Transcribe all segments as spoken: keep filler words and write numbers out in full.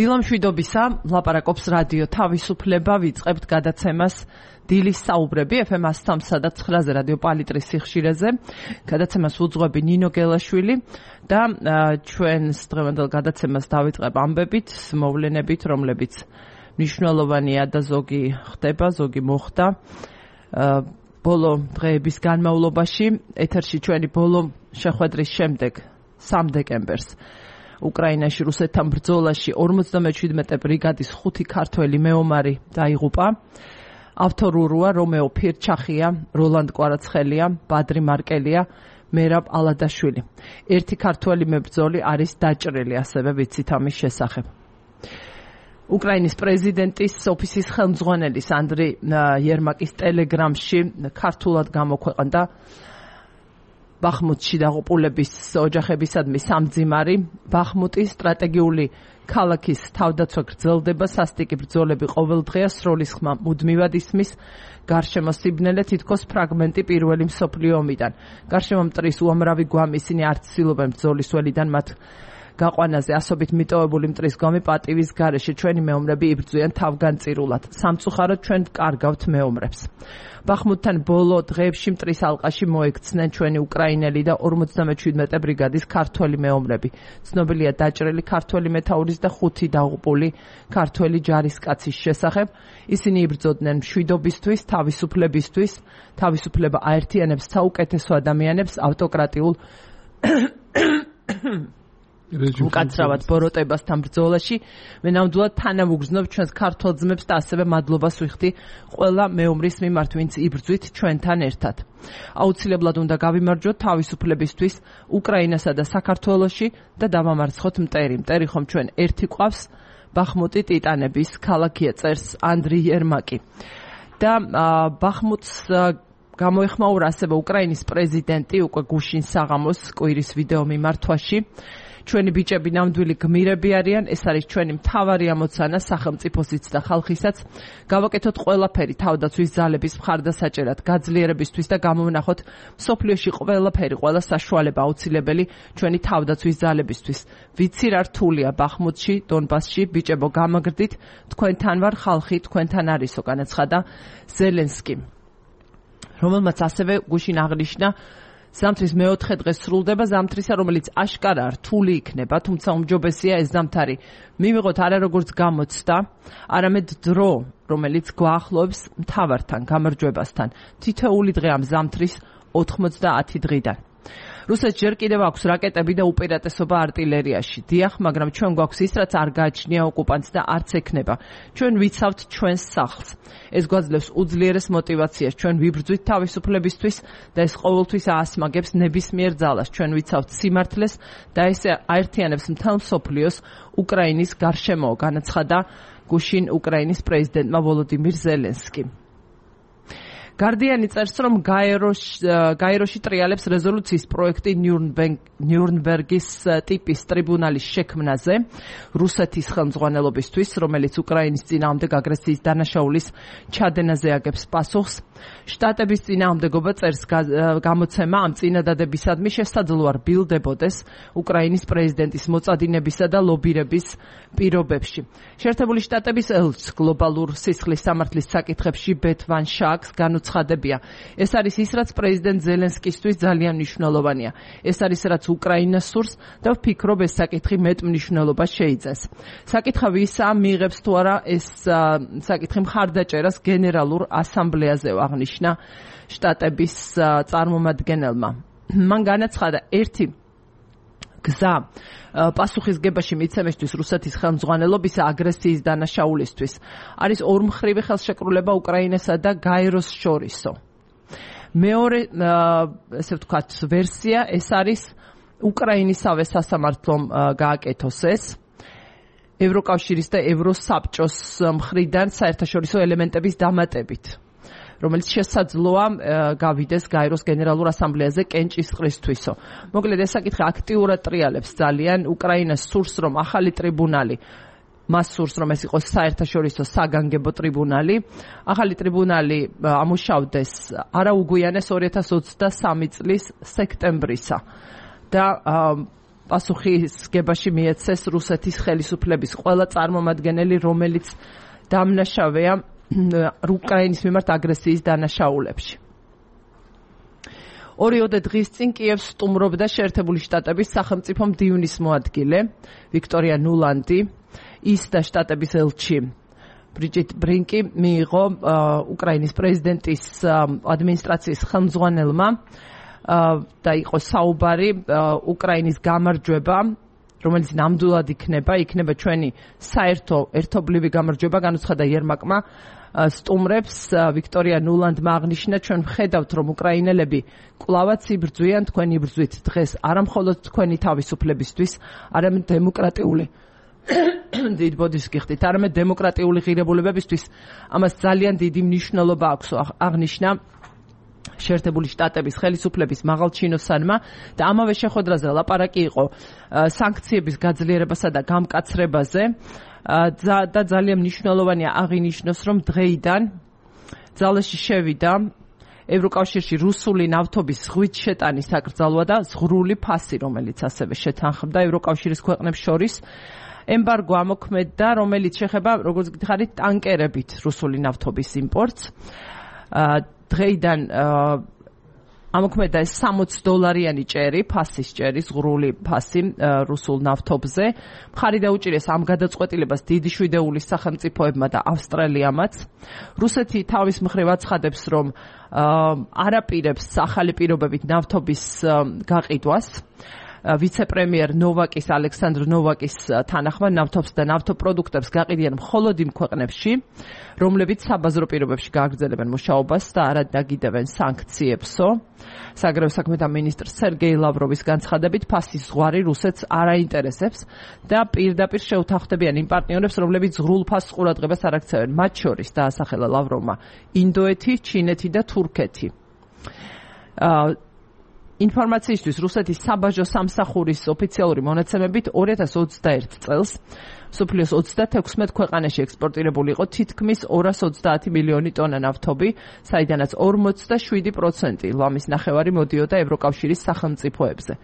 დილამშვიდობისა, ლაპარაკობს რადიო თავისუფლება, ვიწყებთ გადაცემას დილის საუბრები ეფ ემ one oh three და nine-ზე რადიო პალიტრის სიხშირეზე. გადაცემას უძღვები ნინო გელაშვილი და ჩვენს დღევანდელ გადაცემას დავიწყებ ამბებით, მოვლენებით, რომლებიც მნიშვნელოვანია და ზოგი ხდება, ზოგი მოხდა. ბოლო დღეების განმავლობაში ეთერში ჩვენი ბოლო შეხვედრის შემდეგ სამი დეკემბერს უკრაინაში რუსეთთან ბრძოლაში ორმოცდამეჩვიდმეტე ბრიგადის ხუთი ქართველი მეომარი დაიღუპა. ავტორურია რომეო ფირჩახია, როლანდ კვარაცხელია, ბადრი მარკელია, მერაბ ალადაშვილი. ერთი ქართველი მებრძოლი არის დაჭრილი, ასევე ვიცით ამის შესახებ. უკრაინის პრეზიდენტის ოფისის ხელმძღვანელის ანდრი იერმაკის ტელეგრამში ქართულად გამოქვეყნდა ბახმუტში დაღუპულების ოჯახებისადმი სამძიმარი. ბახმუტის სტრატეგიული ქალაქის თავდაცვა გრძელდება, სასტიკი ბრძოლები ყოველდღეა, სროლის ხმა მუდმივად ისმის, გარშემო სიბნელე თითქოს ფრაგმენტი პირველი მსოფლიო ომიდან. გარშემო მტრის უამრავი გვამი, ისინი არ ცდილობენ ბრძოლის ველიდან მათ გაყვანაზე ასობით მიტოვებული მტრის გვამი პატივის გარეშე ჩვენი მეომრები იბრძვიან თავგანწირულად. სამწუხაროდ ჩვენ ვკარგავთ მეომრებს. ბახმუტთან ბოლო დღეებში მტრის ალყაში მოექცნენ ჩვენი უკრაინელი და ორმოცდამეჩვიდმეტე ბრიგადის ქართველი მეომრები. ცნობილია დაჭრილი ქართველი მეთაურის და ხუთი დაღუპული ქართველი ჯარისკაცის შესახებ. ისინი იბრძოდნენ მშვიდობისთვის, თავისუფლებისთვის, თავისუფლება აერთიანებს საუკეთესო ადამიანებს ავტოკრატიულ უკაცრავად ბოროტებასთან ბრძოლაში. მე ნამდვილად თანავუგრძნობ ჩვენს ქართველ ძმებს და ასევე მადლობას ვიხდი ყველა მეომრის მიმართ, ვინც იბრძვით ჩვენთან ერთად. აუცილებლად უნდა გავიმარჯვოთ თავისუფლებისთვის უკრაინასა და საქართველოში და დავამარცხოთ მტერი. მტერი ხომ ჩვენ ერთი ყავს, ბახმუტი ტიტანების ქალაქია, წერს ანდრი იერმაკი. და ბახმუტს გამოეხმაურა ასევე უკრაინის პრეზიდენტი უკვე გუშინ საღამოს კვირის ვიდეო მიმართვაში. ჩვენი ბიჭები ნამდვილი გმირები არიან, ეს არის ჩვენი მთავარი ამოცანა სახელმწიფოსიც და ხალხისაც. გავაკეთოთ ყველაფერი თავდაცვის ძალების მხარდასაჭერად, გაძლიერებისთვის და გამოვნახოთ მსოფლიოში ყველაფერი, ყველა საშუალება აუცილებელი ჩვენი თავდაცვის ძალებისთვის. ვიცი რა რთულია ბახმუტში, დონბასში, ბიჭებო გამაგრდით, თქვენთან ვარ, ხალხი თქვენთან არისო, განაცხადა ზელენსკი, რომელმაც ასევე გუშინ აღნიშნა ზამთრის მეოთხე დღე სრულდება, ზამთრისა, რომელიც აშკარა რთული იქნება, თუმცა უმჯობესია ეს ზამთარი მივიღოთ არა როგორც გამოცდა, არამედ დრო, რომელიც გვაახლოებს მთავართან, გამარჯვებასთან. თითოეული დღე ამ ზამთრის ოთხმოცდაათი დღიდან. რუსეთს ჯერ კიდევ აქვს რაკეტები და უპირატესობა არტილერიაში. დიახ, მაგრამ ჩვენ გვაქვს ის, რაც არ გააჩნია ოკუპანტს და არც ექნება. ჩვენ ვიცავთ ჩვენს სახლს. ეს გვაძლევს უძლიერეს მოტივაციას. ჩვენ ვიბრძვით თავისუფლებისთვის და ეს ყოველთვის აასმაგებს ნებისმიერ ძალას. ჩვენ ვიცავთ სიმართლეს და ეს აერთიანებს მთელ მსოფლიოს უკრაინის გარშემო, განაცხადა გუშინ უკრაინის პრეზიდენტმა ვოლოდიმირ ზელენსკი. გარდიანი წერს, რომ გაეროში ტრიალებს რეზოლუციის პროექტი ნიურნბერგის ტიპის ტრიბუნალის შექმნაზე რუსეთის ხელმძღვანელობისთვის, რომელიც უკრაინის წინააღმდეგ აგრესიის დანაშაულის ჩადენაზე აგებს პასუხს. შტატების წინააღმდეგობა წერს გამოცემა ამ წინადადებისადმი შესაძლოა რბილდებოდეს უკრაინის პრეზიდენტის მოწადინებისა და ლობირების პირობებში. შეერთებული შტატების ელჩს გლობალურ სისხლის სამართლის საკითხებში ბეთ ვან შაკს განუცხადებია. ეს არის ის, რაც პრეზიდენტ ზელენსკისთვის ძალიან მნიშვნელოვანია. ეს არის, რაც უკრაინას სურს და ვფიქრობ, ეს საკითხი მეტ მნიშვნელობას შეიძენს. საკითხავი ისაა, მიიღებს თუ არა ეს საკითხი მხარდაჭერას გენერალურ ასამბლეაზე, აღნიშნა შტატების წარმომადგენელმა. მან განაცხადა, ერთი გზა პასუხისგებაში მიცემისთვის რუსეთის ხელმძღვანელობისა აგრესიის დანაშაულისთვის არის ორმხრივი ხელშეკრულება უკრაინასა და გაეროს შორისო. მეორე, ესე ვთქვათ, ვერსია ეს არის უკრაინისავე სასამართლომ გააკეთოს ეს ევროკავშირის და ევროსაბჭოს მხრიდან საერთაშორისო ელემენტების დამატებით, რომელიც შესაძლოა გავიდეს გაეროს გენერალურ ასამბლეაზე კენჭისყრისთვისო. მოკლედ ეს საკითხი აქტიურად ტრიალებს ძალიან უკრაინას სურს, რომ ახალი ტრიბუნალი მას სურს, რომ ეს იყოს საერთაშორისო საგანგებო ტრიბუნალი. ახალი ტრიბუნალი ამუშავდეს არაუგვიანეს ორი ათას ოცდასამი წლის სექტემბრისა და პასუხისგებაში მიეცეს რუსეთის ხელისუფლების ყველა წარმომადგენელი, რომელიც დამნაშავეა უკრაინის მიმართ აგრესიის დანაშაულებში. ორიოდე დღის წინ კიევს სტუმრობდა შეერთებული შტატების სახელმწიფო მდივნის მოადგილე ვიქტორია ნულანდი, ის და შტატების ელჩი ბრიჯიტ ბრინკი მიიღო უკრაინის პრეზიდენტის ადმინისტრაციის ხელმძღვანელმა და იყო საუბარი უკრაინის გამარჯვება, რომელიც ნამდვილად იქნება, იქნება ჩვენი საერთო ერთობლივი გამარჯვება, განუცხადა იერმაკმა სტუმრებს. ვიქტორია ნულანდმა აღნიშნა, ჩვენ ვხედავთ, რომ უკრაინელები კვლავაც იბრძვიან თქვენი ბრძვით დღეს, არა მხოლოდ თქვენი თავისუფლებისთვის, არამედ დემოკრატიული დიდ ბოდიშს გიხდით, არამედ დემოკრატიული ღირებულებებისთვის. ამას ძალიან დიდი მნიშვნელობა აქვს, აღნიშნა შეერთებული შტატების ხელისუფლების მაღალჩინოსანმა და ამავე შეხვედრაზე ლაპარაკი იყო სანქციების გაძლიერებასა და გამკაცრებაზე და ძალიან მნიშვნელოვანია აღინიშნოს, რომ დღეიდან ძალაში შევიდა ევროკავშირში რუსული ნავთობის ზღვით შეტანის საკრძალვა და ზღვრული ფასი, რომელიც ასევე შეთანხმდა ევროკავშირის ქვეყნებს შორის. ემბარგო ამოქმედდა, რომელიც შეხება, როგორც გითხარით, ტანკერებით რუსული ნავთობის იმპორტს. დღეიდან ამოქმედდა ეს სამოცი დოლარიანი ჭერი, ფასის ჭერი, ზღვრული ფასი რუსულ ნავთობზე. მხარი დაუჭირეს ამ გადაწყვეტილებას დიდი შვიდეულის სახელმწიფოებმა და ავსტრალიამაც. რუსეთი თავის მხრივ აცხადებს, რომ არაპირებს ახალი პირობებით ნავთობის გაყიდვას. ვიცე-პრემიერ ნოვაკის ალექსანდრ ნოვაკის თანახმად ნავთობს და ნავთობპროდუქტებს გაყიდიან მხოლოდ იმ ქვეყნებში, რომლებიც საბაზრო პირობებში გააგრძელებენ მუშაობას და არ დაგიდევენ სანქციებსო. საგარეო საქმეთა მინისტრ სერგეი ლავროვის განცხადებით, ფასის ზღვარი რუსეთს არ აინტერესებს და პირდაპირ შეუთანხმდებიან იმ პარტნიორებს, რომლებიც ზღვრულ ფასს ყურადღებას არ აქცევენ. მათ შორის დაასახელა ლავროვმა ინდოეთი, ჩინეთი და თურქეთი. ინფორმაციისთვის რუსეთის საბაჟო სამსახურის ოფიციალური მონაცემებით ორი ათას ოცდაერთი წელს მსოფლიოს ოცდათექვსმეტ ქვეყანაში ექსპორტირებული იყო თითქმის ორას ოცდაათი მილიონი ტონა ნავთობი, საიდანაც ორმოცდაშვიდი პროცენტი ლამის ნახევარი მოდიოდა ევროკავშირის სახელმწიფოებზე.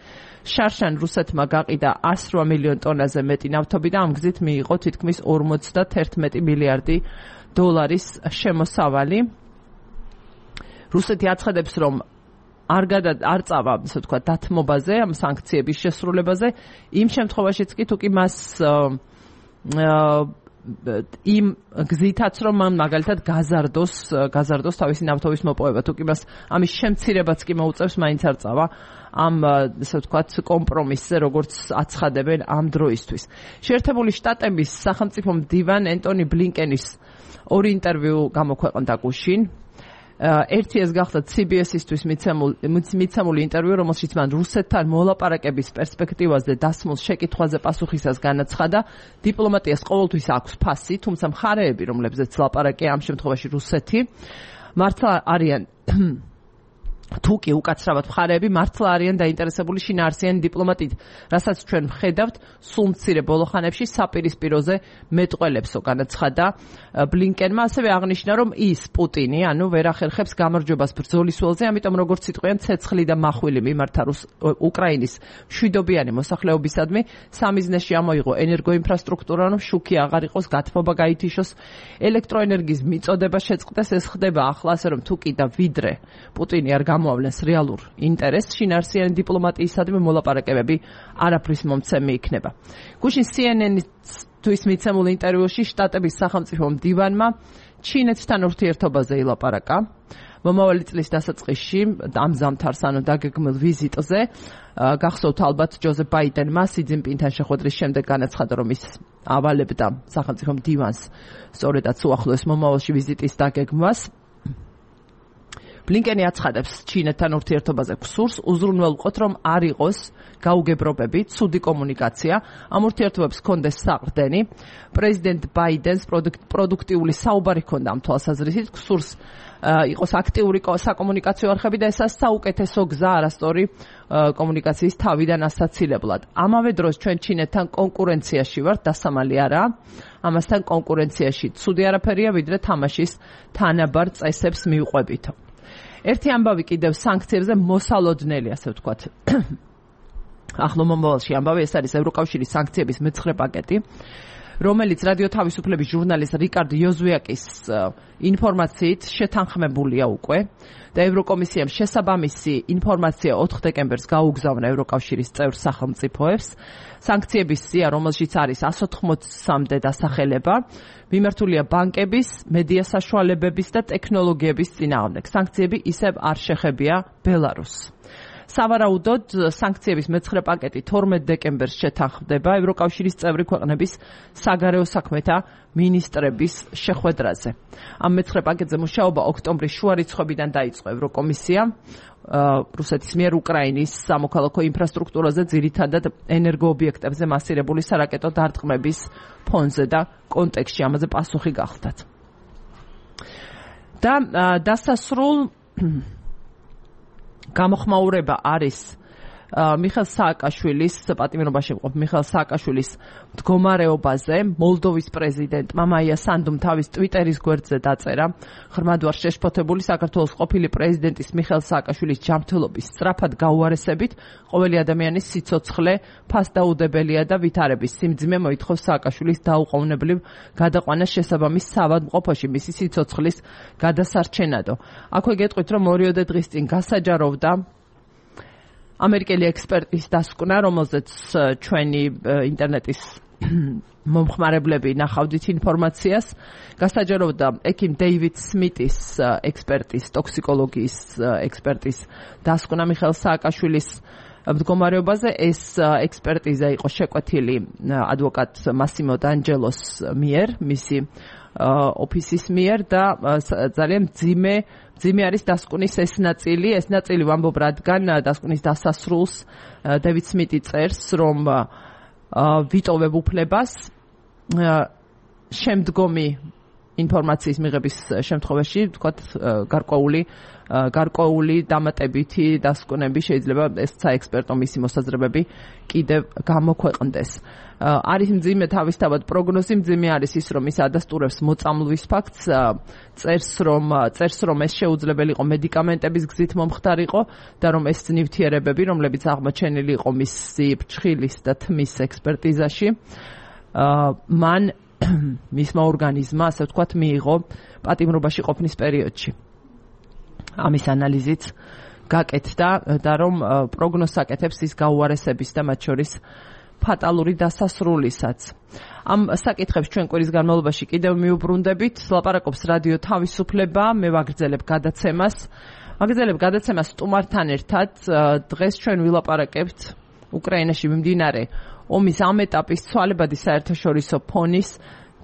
შარშან რუსეთმა გაყიდა εκατი რვა მილიონ ტონაზე მეტი ნავთობი და ამ გზით მიიღო თითქმის ორმოცდაერთმეტი მილიარდი დოლარის შემოსავალი. რუსეთი აცხადებს, რომ არ გადა არ წავა, ასე ვთქვათ, დათმობაზე, ამ სანქციების შესრულებაზე, იმ შემთხვევაშიც კი თუ კი მას იმ გზითაც, რომ მან მაგალითად გაზარდოს, გაზარდოს თავისი ნავთობის მოპოვება, თუ კი მას ამის შემცირებაც კი მოუწევს, მაინც არ წავა ამ, ასე ვთქვათ, კომპრომისზე, როგორც აცხადებენ ამ დროისთვის. შეერთებული შტატების სახელმწიფო მდივან ენტონი ბლინკენის ორი ინტერვიუ გამოქვეყნდა გუშინ. ერთი ეს გახლავთ C B S-ისთვის მიცემული ინტერვიუ, რომელშიც მან რუსეთთან მოლაპარაკების პერსპექტივაზე დასმულ შეკითხვაზე პასუხისას განაცხადა, დიპლომატიას ყოველთვის აქვს ფასი, თუმცა მხარეები, რომლებზეც ლაპარაკია, ამ შემთხვევაში რუსეთი, მართლა არიან თუ კი უკაცრავად მხარეები მართლა არიან დაინტერესებული შინაარსიანი დიპლომატიით, რასაც ჩვენ ვხედავთ სულ მცირე ბოლოხანებში საპირისპიროზე მეტყველებსო, განაცხადა ბლინკენმა. ასევე აღნიშნა, რომ ის პუტინი, ანუ ვერ ახერხებს გამარჯვებას ბრძოლის ველზე, ამიტომ როგორც იტყვიან, ცეცხლი და მახვილი მიმართა უკრაინის მშვიდობიანი მოსახლეობისადმი სამიზნეში ამოიღო ენერგოინფრასტრუქტურა, რომ შუქი აღარ იყოს, გათბობა გაითიშოს, ელექტროენერგიის მიწოდება შეწყდეს. ეს ხდება ახლა, ასე რომ თუ კი და ვიდრე პუტინი არ გამოავლენს რეალურ ინტერესს, შინაარსიანი დიპლომატიისადმი მოლაპარაკებები არაფრის მომცემი იქნება. გუშინ C N N-თვის მიცემულ ინტერვიუში შტატების სახელმწიფო მდივანმა ჩინეთთან ურთიერთობაზე ილაპარაკა. მომავალი წლის დასაწყისში ამ ზამთარს, ანუ დაგეგმილ ვიზიტზე, გახსოვთ ალბათ ჯოზეფ ბაიდენმა სი ძინპინთან შეხვედრის შემდეგ განაცხადა, რომ ის ავალებდა სახელმწიფო მდივანს სწორედაც უახლოეს მომავალში ვიზიტის დაგეგმვას. ბლინკენი აცხადებს ჩინეთთან ურთიერთობაზე გსურს, უზრუნველყოთ, რომ არ იყოს გაუგებრობები, ცუდი კომუნიკაცია, ამ ურთიერთობებს ჰქონდეს საყრდენი. პრეზიდენტ ბაიდენს პროდუქტიული საუბარი ჰქონდა ამ თვალსაზრისით, გსურს იყოს აქტიური საკომუნიკაციო არხები და ესაც საუკეთესო გზა არასწორი კომუნიკაციის თავიდან ასაცილებლად. ამავე დროს ჩვენ ჩინეთთან კონკურენციაში ვართ, დასამალი არაა. ამასთან კონკურენციაში ცუდი არაფერია, ვიდრე თამაშის თანაბარ წესებს მივყვებით. ერთი ამბავი კიდევ სანქციებზე მოსალოდნელი, ასე ვთქვათ. ახლო მომავალში ამბავი, ეს არის ევროკავშირის სანქციების მეცხრე პაკეტი, რომელიც რადიო თავისუფლების ჟურნალის რიკარდ იოზუაკის ინფორმაციით შეთანხმებულია უკვე და ევროკომისიამ შესაბამისი ინფორმაცია ოთხ დეკემბერს გაუგზავნა ევროკავშირის წევრ სახელმწიფოებს. სანქციების სია, რომელშიც არის εκατს ოთხმოცამდე დასახელება, მიმართულია ბანკების, მედია საშუალებების და ტექნოლოგიების წინააღმდეგ. სანქციები ისევ არ შეხებია ბელარუსს. სავარაუდოდ სანქციების მეცხრე პაკეტი თორმეტ დეკემბერს შეთანხმდება ევროკავშირის წევრი ქვეყნების საგარეო საქმეთა მინისტრების შეხვედრაზე. ამ მეცხრე პაკეტზე მუშაობა ოქტომბრის შუა რიცხვებიდან დაიწყო ევროკომისიამ რუსეთის მიერ უკრაინის სამოქალაქო ინფრასტრუქტურაზე, ძირითადად ენერგოობიექტებზე მასირებული სარაკეტო დარტყმების ფონზე და კონტექსტში ამაზე პასუხი გახლდათ. და დასასრულ გამოხმაურება არის მიხეილ სააკაშვილის პატიმრობაში მყოფ მიხეილ სააკაშვილის მდგომარეობაზე. მოლდოვის პრეზიდენტმა მაია სანდუმ თავის ტვიტერის გვერდზე დაწერა ღრმად ვარ შეშფოთებული საქართველოს ყოფილი პრეზიდენტის მიხეილ სააკაშვილის ჯანმრთელობის სწრაფად გაუარესებით. ყოველი ადამიანის სიცოცხლე ფასდაუდებელია და ვითარების სიმძიმე მოითხოვს სააკაშვილის დაუყოვნებლივ გადაყვანას შესაბამის საავადმყოფოში მისი სიცოცხლის გადასარჩენადო. აქვე გეტყვით, რომ ორიოდე დღის წინ გასაჯაროვდა ამერიკელი ექსპერტის დასკვნა, რომელზეც ჩვენი ინტერნეტის მომხმარებლები ნახავდით ინფორმაციას. გასაჯაროვდა ექიმ დეივიდ სმიტის ექსპერტის, ტოქსიკოლოგიის ექსპერტის დასკვნა მიხეილ სააკაშვილის მდგომარეობაზე. ეს ექსპერტიზა იყო შეკვეთილი ადვოკატ მასიმო დანჯელოს მიერ, მისი ოფისის მიერ და ძალიან მძიმე მძიმე არის დასკვნის ეს ნაწილი. ეს ნაწილი ვამბობ, რადგან დასკვნის დასასრულს დევიდ სმიტი წერს, რომ ვიტოვებ უფლებას შემდგომი ინფორმაციის მიღების შემთხვევაში, ვთქვათ, გარკვეული გარკვეული დამატებითი დასკვნები შეიძლება ეს საექსპერტო მისი მოსაზრებები კიდევ გამოქვეყნდეს. არის მძიმე თავისთავად პროგნოზი, მძიმე არის ის, რომ ის ადასტურებს მოწამლვის ფაქტს, წერს რომ წერს რომ ეს შეუძლებელი იყო მედიკამენტების გზით მომხდარიყო და რომ ეს ნივთიერებები, რომლებიც აღმოჩენილი იყო მისი ფრჩხილის და თმის ექსპერტიზაში, მან მისმა ორგანიზმა, ასე ვთქვათ, მიიღო პატიმრობაში ყოფნის პერიოდში. ამის ანალიზით გაკეთდა და რომ პროგნოზს აკეთებს ის გაუარესების და მათ შორის ფატალური დასასრულისაც. ამ საკითხებს ჩვენ კვირის განმავლობაში კიდევ მიუბრუნდებით. ლაპარაკობს რადიო თავისუფლება, მე ვაგრძელებ გადაცემას. ვაგრძელებ გადაცემას სტუმართან ერთად. დღეს ჩვენ ვილაპარაკებთ უკრაინაში მიმდინარე ომის ამ ეტაპის ცვალებადი საერთაშორისო ფონის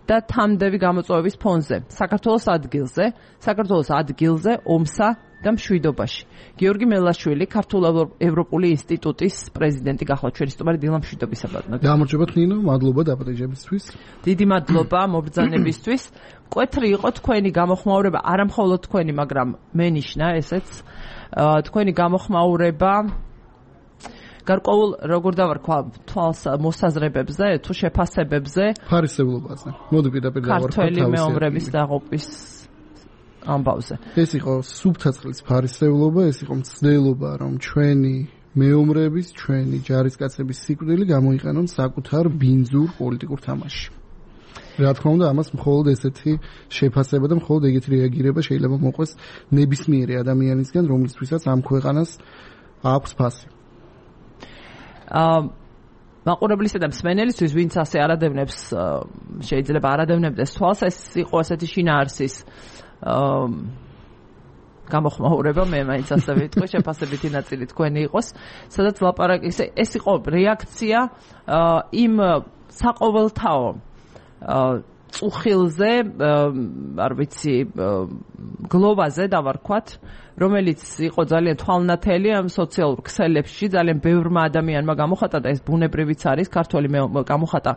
და თამდევი გამოწვევების ფონზე. საქართველოს ადგილზე, საქართველოს ადგილზე ომსა და მშვიდობაში. გიორგი მელაშვილი, ქართულ ევროპული ინსტიტუტის პრეზიდენტი გახლავთ ჩვენი სტუმარი. დილა მშვიდობისაბადნო. გამარჯობა ნინო, მადლობა დაპატეჟებისთვის. დიდი მადლობა მობრძანებისთვის. მკვეთრი იყო თქვენი გამოხმაურება, არა მხოლოდ თქვენი, მაგრამ მენიშნა ესეც. თქვენი გამოხმაურება გარკვეულ როგორ დავარქვა თვალს მოსაზრებებზე, თუ შეფასებებზე, ფარისევლობაზე. მოდი პირდაპირ დავარქვა ქართველი მეომრების დაღუპვის ამბავზე. ეს იყო სუბთაწყლის ფარისევლობა, ეს იყო მცდელობა, რომ ჩვენი მეომრების, ჩვენი ჯარისკაცების სიკვდილი გამოიყენონ საკუთარ ბინძურ პოლიტიკურ თამაშში. რა თქმა უნდა, ამას მხოლოდ ესეთი შეფასება და მხოლოდ ეგეთი რეაგირება შეიძლება მოყვეს ნებისმიერი ადამიანისგან, რომლისთვისაც ამ ქვეყანას აქვს ფასი. მაყურებლისა და მსმენელისთვის, ვინც ასე არადევნებს, შეიძლება არადევნებდეს თვალს, ეს იყო ასეთი შინაარსის გამოხმაურება, მე მაინც ასე ვიტყვი, შეფასებითი ნაწილი თქვენი იყოს, სადაც ლაპარაკი, ეს იყო რეაქცია იმ საყოველთაო წუხილზე, არ ვიცი, გლოვაზე დავარქვათ, რომელიც იყო ძალიან თვალნათელი ამ სოციალურ ქსელებში, ძალიან ბევრმა ადამიანმა გამოხატა და ეს ბუნებრივიც არის, ქართველი გამოხატა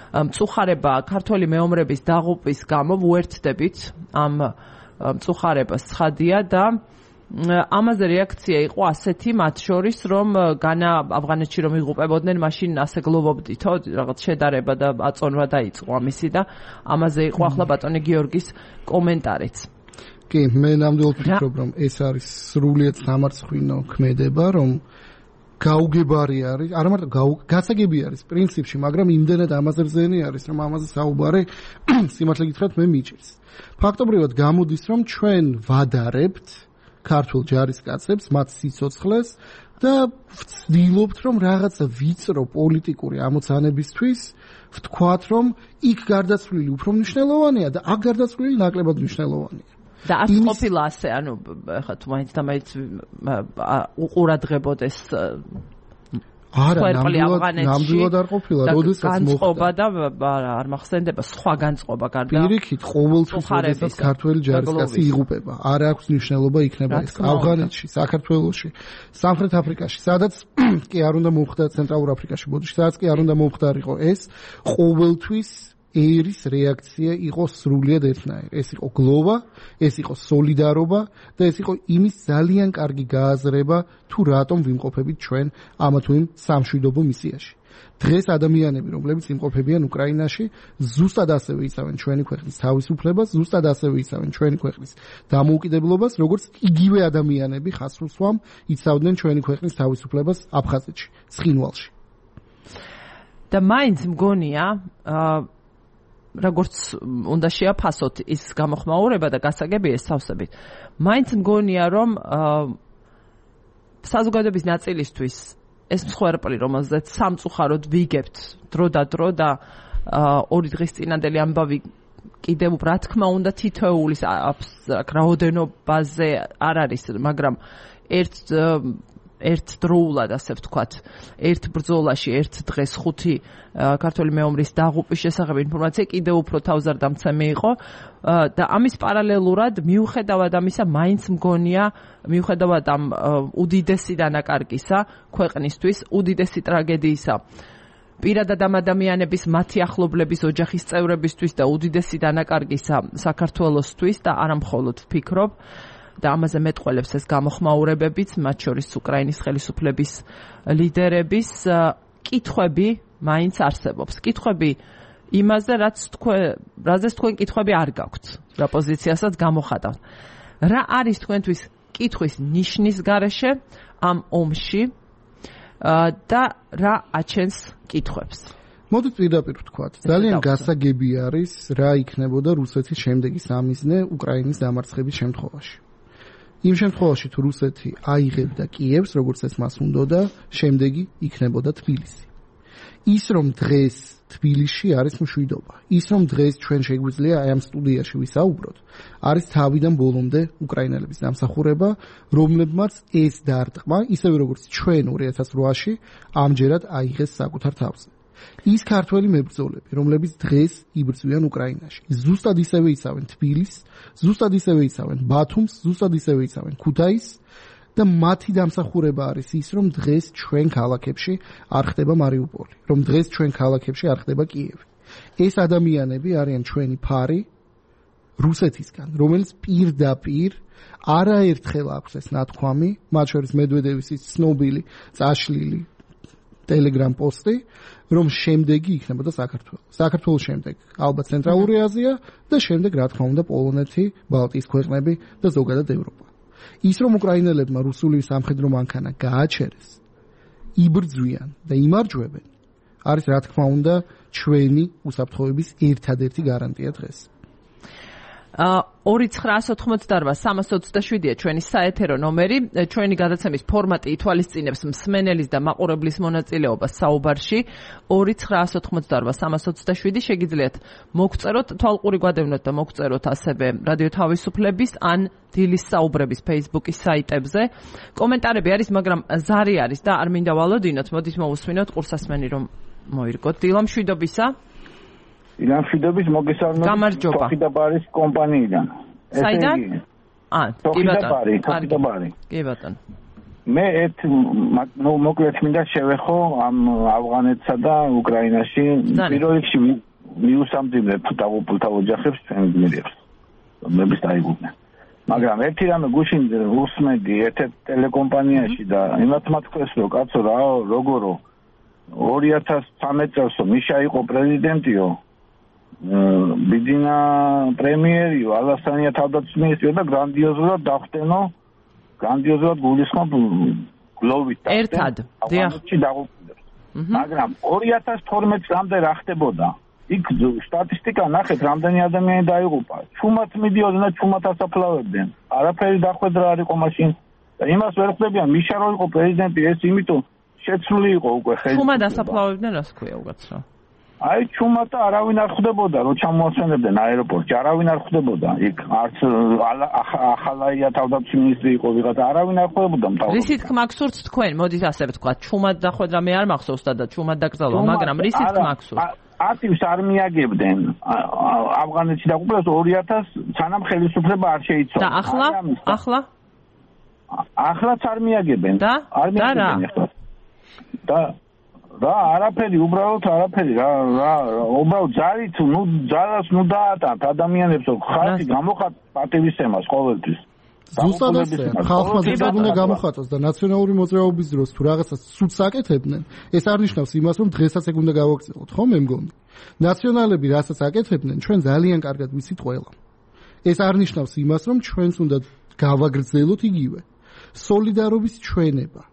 მწუხარება ქართველი მეომრების დაღუპვის გამო. ვუერთდებით ამ მწუხარებას ცხადია და ამაზე რეაქცია იყო ასეთი, მათ შორის, რომ განა ავღანეთში რომ იღუპებოდნენ, მაშინ ასე გლოვობდითო, რაღაც შედარება და აწონვა დაიწყო ამისი და ამაზე იყო ახლა ბატონი გიორგის კომენტარიც. კი, მე ნამდვილად ვფიქრობ, რომ ეს არის სრულიად სამარცხვინო ქმედება, რომ გაუგებარი არის, არა მარტო გასაგები არის პრინციპში, მაგრამ იმდენად ამაზე რძენი არის, რომ ამაზე საუბარი სიმართლე გითხრათ მე მიჭირს. ფაქტობრივად გამოდის, რომ ჩვენ ვადარებთ ქართულ ჯარისკაცებს, მათ სიცოცხლეს და ვცდილობთ, რომ რაღაცა ვიწრო პოლიტიკური ამოცანებისთვის ვთქვათ, რომ იქ გარდაცვლილი უფრო მნიშვნელოვანია და აქ გარდაცვლილი ნაკლებად მნიშვნელოვანია. და არ ყოფილა ასე, ანუ ხა თუ მაინც და მაინც უყურადღებოდეს არა, ნამდვილად არ ყოფილა, როდესაც მოხდა და არ მახსენდება სხვა განწყობა გარდა. პირიქით, ყოველთვის როდესაც ქართველი ჯარისკაცი იღუპება, არ აქვს მნიშვნელობა იქნება ეს ავღანეთში, საქართველოში, სამხრეთ აფრიკაში, სადაც კი არ უნდა მომხდარ, ცენტრალურ აფრიკაში, ბოდიში, სადაც კი არ უნდა მომხდარიყო ეს, ყოველთვის ერის რეაქცია იყო სრულიად ერთნაირი. ეს იყო გლოვა, ეს იყო სოლიდარობა და ეს იყო იმის ძალიან კარგი გააზრება, თუ რატომ ვიმყოფებით ჩვენ ამა თუ იმ სამშვიდობო მისიაში. დღეს ადამიანები, რომლებიც იმყოფებიან უკრაინაში, ზუსტად ასევე იცავენ ჩვენი ქვეყნის თავისუფლებას, ზუსტად ასევე იცავენ ჩვენი ქვეყნის დამოუკიდებლობას, როგორც იგივე ადამიანები ხასრულსვამ იცავდნენ ჩვენი ქვეყნის თავისუფლებას აფხაზეთში, ცხინვალში. და მაინც მგონია, აა როგორც უნდა შეაფასოთ ის გამოხმაურება და გასაგები ეს სავსებით. მაინც მგონია, რომ საზოგადოების ნაწილისთვის ეს მსხვერპლი, რომელზეც სამწუხაროდ ვიგებთ დრო და დრო და ორი დღის წინანდელი ამბავი კიდევ რა თქმა უნდა თითოეულის რაოდენობაზე არ არის, მაგრამ ერთ ერთ დროულად, ასე ვთქვათ, ერთ ბრძოლაში, ერთ დღეს ხუთი ქართველი მეომრის დაღუპვის შესახებ ინფორმაცია კიდევ უფრო თავზარდამცემი იყო და ამის პარალელურად მიუხედავად ამისა, მაინც მგონია, მიუხედავად ამ უდიდესი დანაკარგისა ქვეყნისთვის, უდიდესი ტრაგედიისა პირადად ამ ადამიანების, მათი ახლობლების, ოჯახის წევრებისთვის და უდიდესი დანაკარგისა საქართველოსთვის და არა მხოლოდ ვფიქრობ და ამაზე მეტყველებს ეს გამოხმაურებებიც, მათ შორის უკრაინის ხელისუფლების ლიდერების კითხვები მაინც არსებობს. კითხვები იმაზე, რაც თქვენ, რაზეც თქვენ კითხვები არ გაქვთ, რა პოზიციასაც გამოხატავთ. რა არის თქვენთვის კითხვის ნიშნის გარეშე ამ ომში და რა აჩენს კითხვებს? მოდით პირდაპირ ვთქვათ, ძალიან გასაგები არის, რა იქნებოდა რუსეთის შემდეგი სამიზნე უკრაინის დამარცხების შემთხვევაში. იმ შემთხვევაში თუ რუსეთი აიღებდა კიევს, როგორც ეს მას უნდოდა, შემდეგი იქნებოდა თბილისი. ის რომ დღეს თბილისში არის მშვიდობა, ის რომ დღეს ჩვენ შეგვიძლია აი ამ სტუდიაში ვისაუბროთ, არის თავიდან ბოლომდე უკრაინელების დამსახურება, რომლებმაც ეს დარტყმა, ისევე როგორც ჩვენ ორი ათას რვაში ამჯერად აიღეს საკუთარ თავზე. ის ქართველი მებრძოლები, რომლებიც დღეს იბრძვიან უკრაინაში, ზუსტად ისევე იცავენ თბილისს, ზუსტად ისევე იცავენ ბათუმს, ზუსტად ისევე იცავენ ქუთაისს და მათი დამსახურება არის ის, რომ დღეს ჩვენ ქალაქებში არ ხდება მარიუპოლი, რომ დღეს ჩვენ ქალაქებში არ ხდება კიევი. ეს ადამიანები არიან ჩვენი ფარი რუსეთისგან, რომელიც პირდაპირ არაერთხელ აქვს ეს ნათქვამი, მათ შორის მედვედევის ის ცნობილი წაშლილი ტელეგრამ პოსტი, რომ შემდეგი იქნებოდა საქართველო. საქართველოს შემდეგ ალბათ ცენტრალური აზია და შემდეგ რა თქმა უნდა პოლონეთი, ბალტიის ქვეყნები და ზოგადად ევროპა. ის რომ უკრაინელებმა რუსული სამხედრო მანქანა გააჩერეს, იბრძვიან და იმარჯვებენ, არის რა თქმა უნდა ჩვენი უსაფრთხოების ერთადერთი გარანტია დღეს. ორი ცხრაასი ოთხმოცდაორვა სამას ოცდაშვიდია ჩვენი საეთერო ნომერი. ჩვენი გადაცემის ფორმატი ითვალისწინებს მსმენელის და მაყურებლის მონაწილეობას საუბარში. ორი ცხრაასი ოთხმოცდაორვა სამას ოცდაშვიდი შეგიძლიათ მოგწეროთ, თვალყური გვადევნოთ და მოგწეროთ ასევე რადიო თავისუფლების ან დილის საუბრების Facebook-ის საიტებზე. კომენტარები არის, მაგრამ ზარი არის და არ მინდა ვალოდინოთ. მოდით მოვუსმინოთ ყურსასმენი რომ მოირგოთ. დილა მშვიდობისა. ილამშვიდობის მოგესალმებით თოხიდაბარის კომპანიიდან. საიდან? აა, კი ბატონო. თოხიდაბარი. კი ბატონო. მე ერთ მოკლედ მინდა შევეხო ამ ავღანეთსა და უკრაინაში პირველ რიგში მიუსამძიმრებ დაღუპულთა ოჯახებს ჩვენ გმირებს. რომლებიც დაიღუპნენ. მაგრამ ერთი რამე გუშინ უსმენდი ერთ-ერთ ტელეკომპანიაში და იმათ მათქვეს რომ კაცო რა როგორო ორი ათას ცხრამეტ წელსო მიშა იყო პრეზიდენტიო, ბიძინა პრემიერიო, ალასანია თავდაცვის მინისტრიო და გრანდიოზულად დახვდენო, გრანდიოზულად გულისხმობ გლოვით ერთად ავღანეთში დაღუპულებს. მაგრამ ორი ათას თორმეტ წლამდე რა ხდებოდა? იქ სტატისტიკა ნახეთ, რამდენი ადამიანი დაიღუპა. ჩუმად მიდიოდნენ და ჩუმად ასაფლავებდნენ. არაფერი დახვედრა არ იყო მაშინ. და იმას ვერ ხვდებიან, მიშა რო იყო პრეზიდენტი, ეს იმიტომ შეცვლილი იყო უკვე ხელისუფლება. ჩუმად ასაფლავებდნენ, რას ქვია უკაცრავ? აი ჩუმად და არავინ არ ხვდებოდა, რო ჩამოასვენებდნენ აეროპორტში, არავინ არ ხვდებოდა. იქ არც ახალაია თავდაცვის მინისტრი იყო ვიღაცა, არავინ არ ხვდებოდა მთავრობა. რისით გმაგსურთ თქვენ? მოდით ასე ვთქვა, ჩუმად დახვედრა მე არ მახსოვს და ჩუმად დაკრძალვა, მაგრამ რისით გმაგსურთ? აქტივს არ მიაგებდნენ ავღანეთში დაღუპულებს ორი ათას სანამ ხელისუფლება არ შეიცვალა. და ახლა? ახლა? ახლაც არ მიაგებენ. და? არ მიაგებენ ახლა. და რა არაფერი, უბრალოდ არაფერი რა რა უბრალოდ ძალით ნუ ძალას ნუ დაატანთ ადამიანებს ხალხი გამოხატ პატივისცემას ყოველთვის. ზუსტად ასე, ხალხმა ზუსტად უნდა გამოხატოს და ნაციონალური მოძრაობის დროს თუ რაღაცას ცუდს აკეთებდნენ, ეს არ ნიშნავს იმას, რომ დღესაც ეგ უნდა გავაგრძელოთ, ხო, მე მგონი. ნაციონალები რასაც აკეთებდნენ, ჩვენ ძალიან კარგად ვიცით ყველა. ეს არ ნიშნავს იმას, რომ ჩვენც უნდა გავაგრძელოთ იგივე. სოლიდარობის ჩვენება,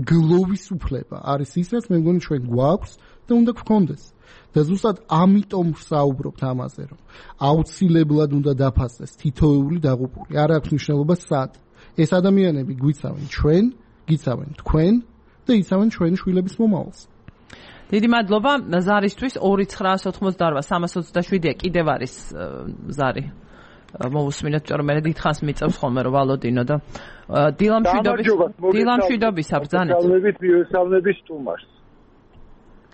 გლოვის უფლება არის ის, რაც მე მგონი ჩვენ გვაქვს და უნდა გვქონდეს. და ზუსტად ამიტომ ვსაუბრობთ ამაზე, რომ აუცილებლად უნდა დაფასდეს თითოეული დაღუპული. არ აქვს მნიშვნელობა სად. ეს ადამიანები გვიცავენ ჩვენ, გიცავენ თქვენ და იცავენ ჩვენი შვილების მომავალს. დიდი მადლობა ზარისთვის ორი ცხრაას ოთხმოცდაორვა სამას ოცდაშვიდია კიდევ არის ზარი. მოусმინოთ, რომ მე დიდხანს მიწევს ხოლმე რომ ვალოდინო და დილამშვიდობის დილამშვიდობისა ბრძანეთ. მოგესალმებით მიესალმების სტუმარს.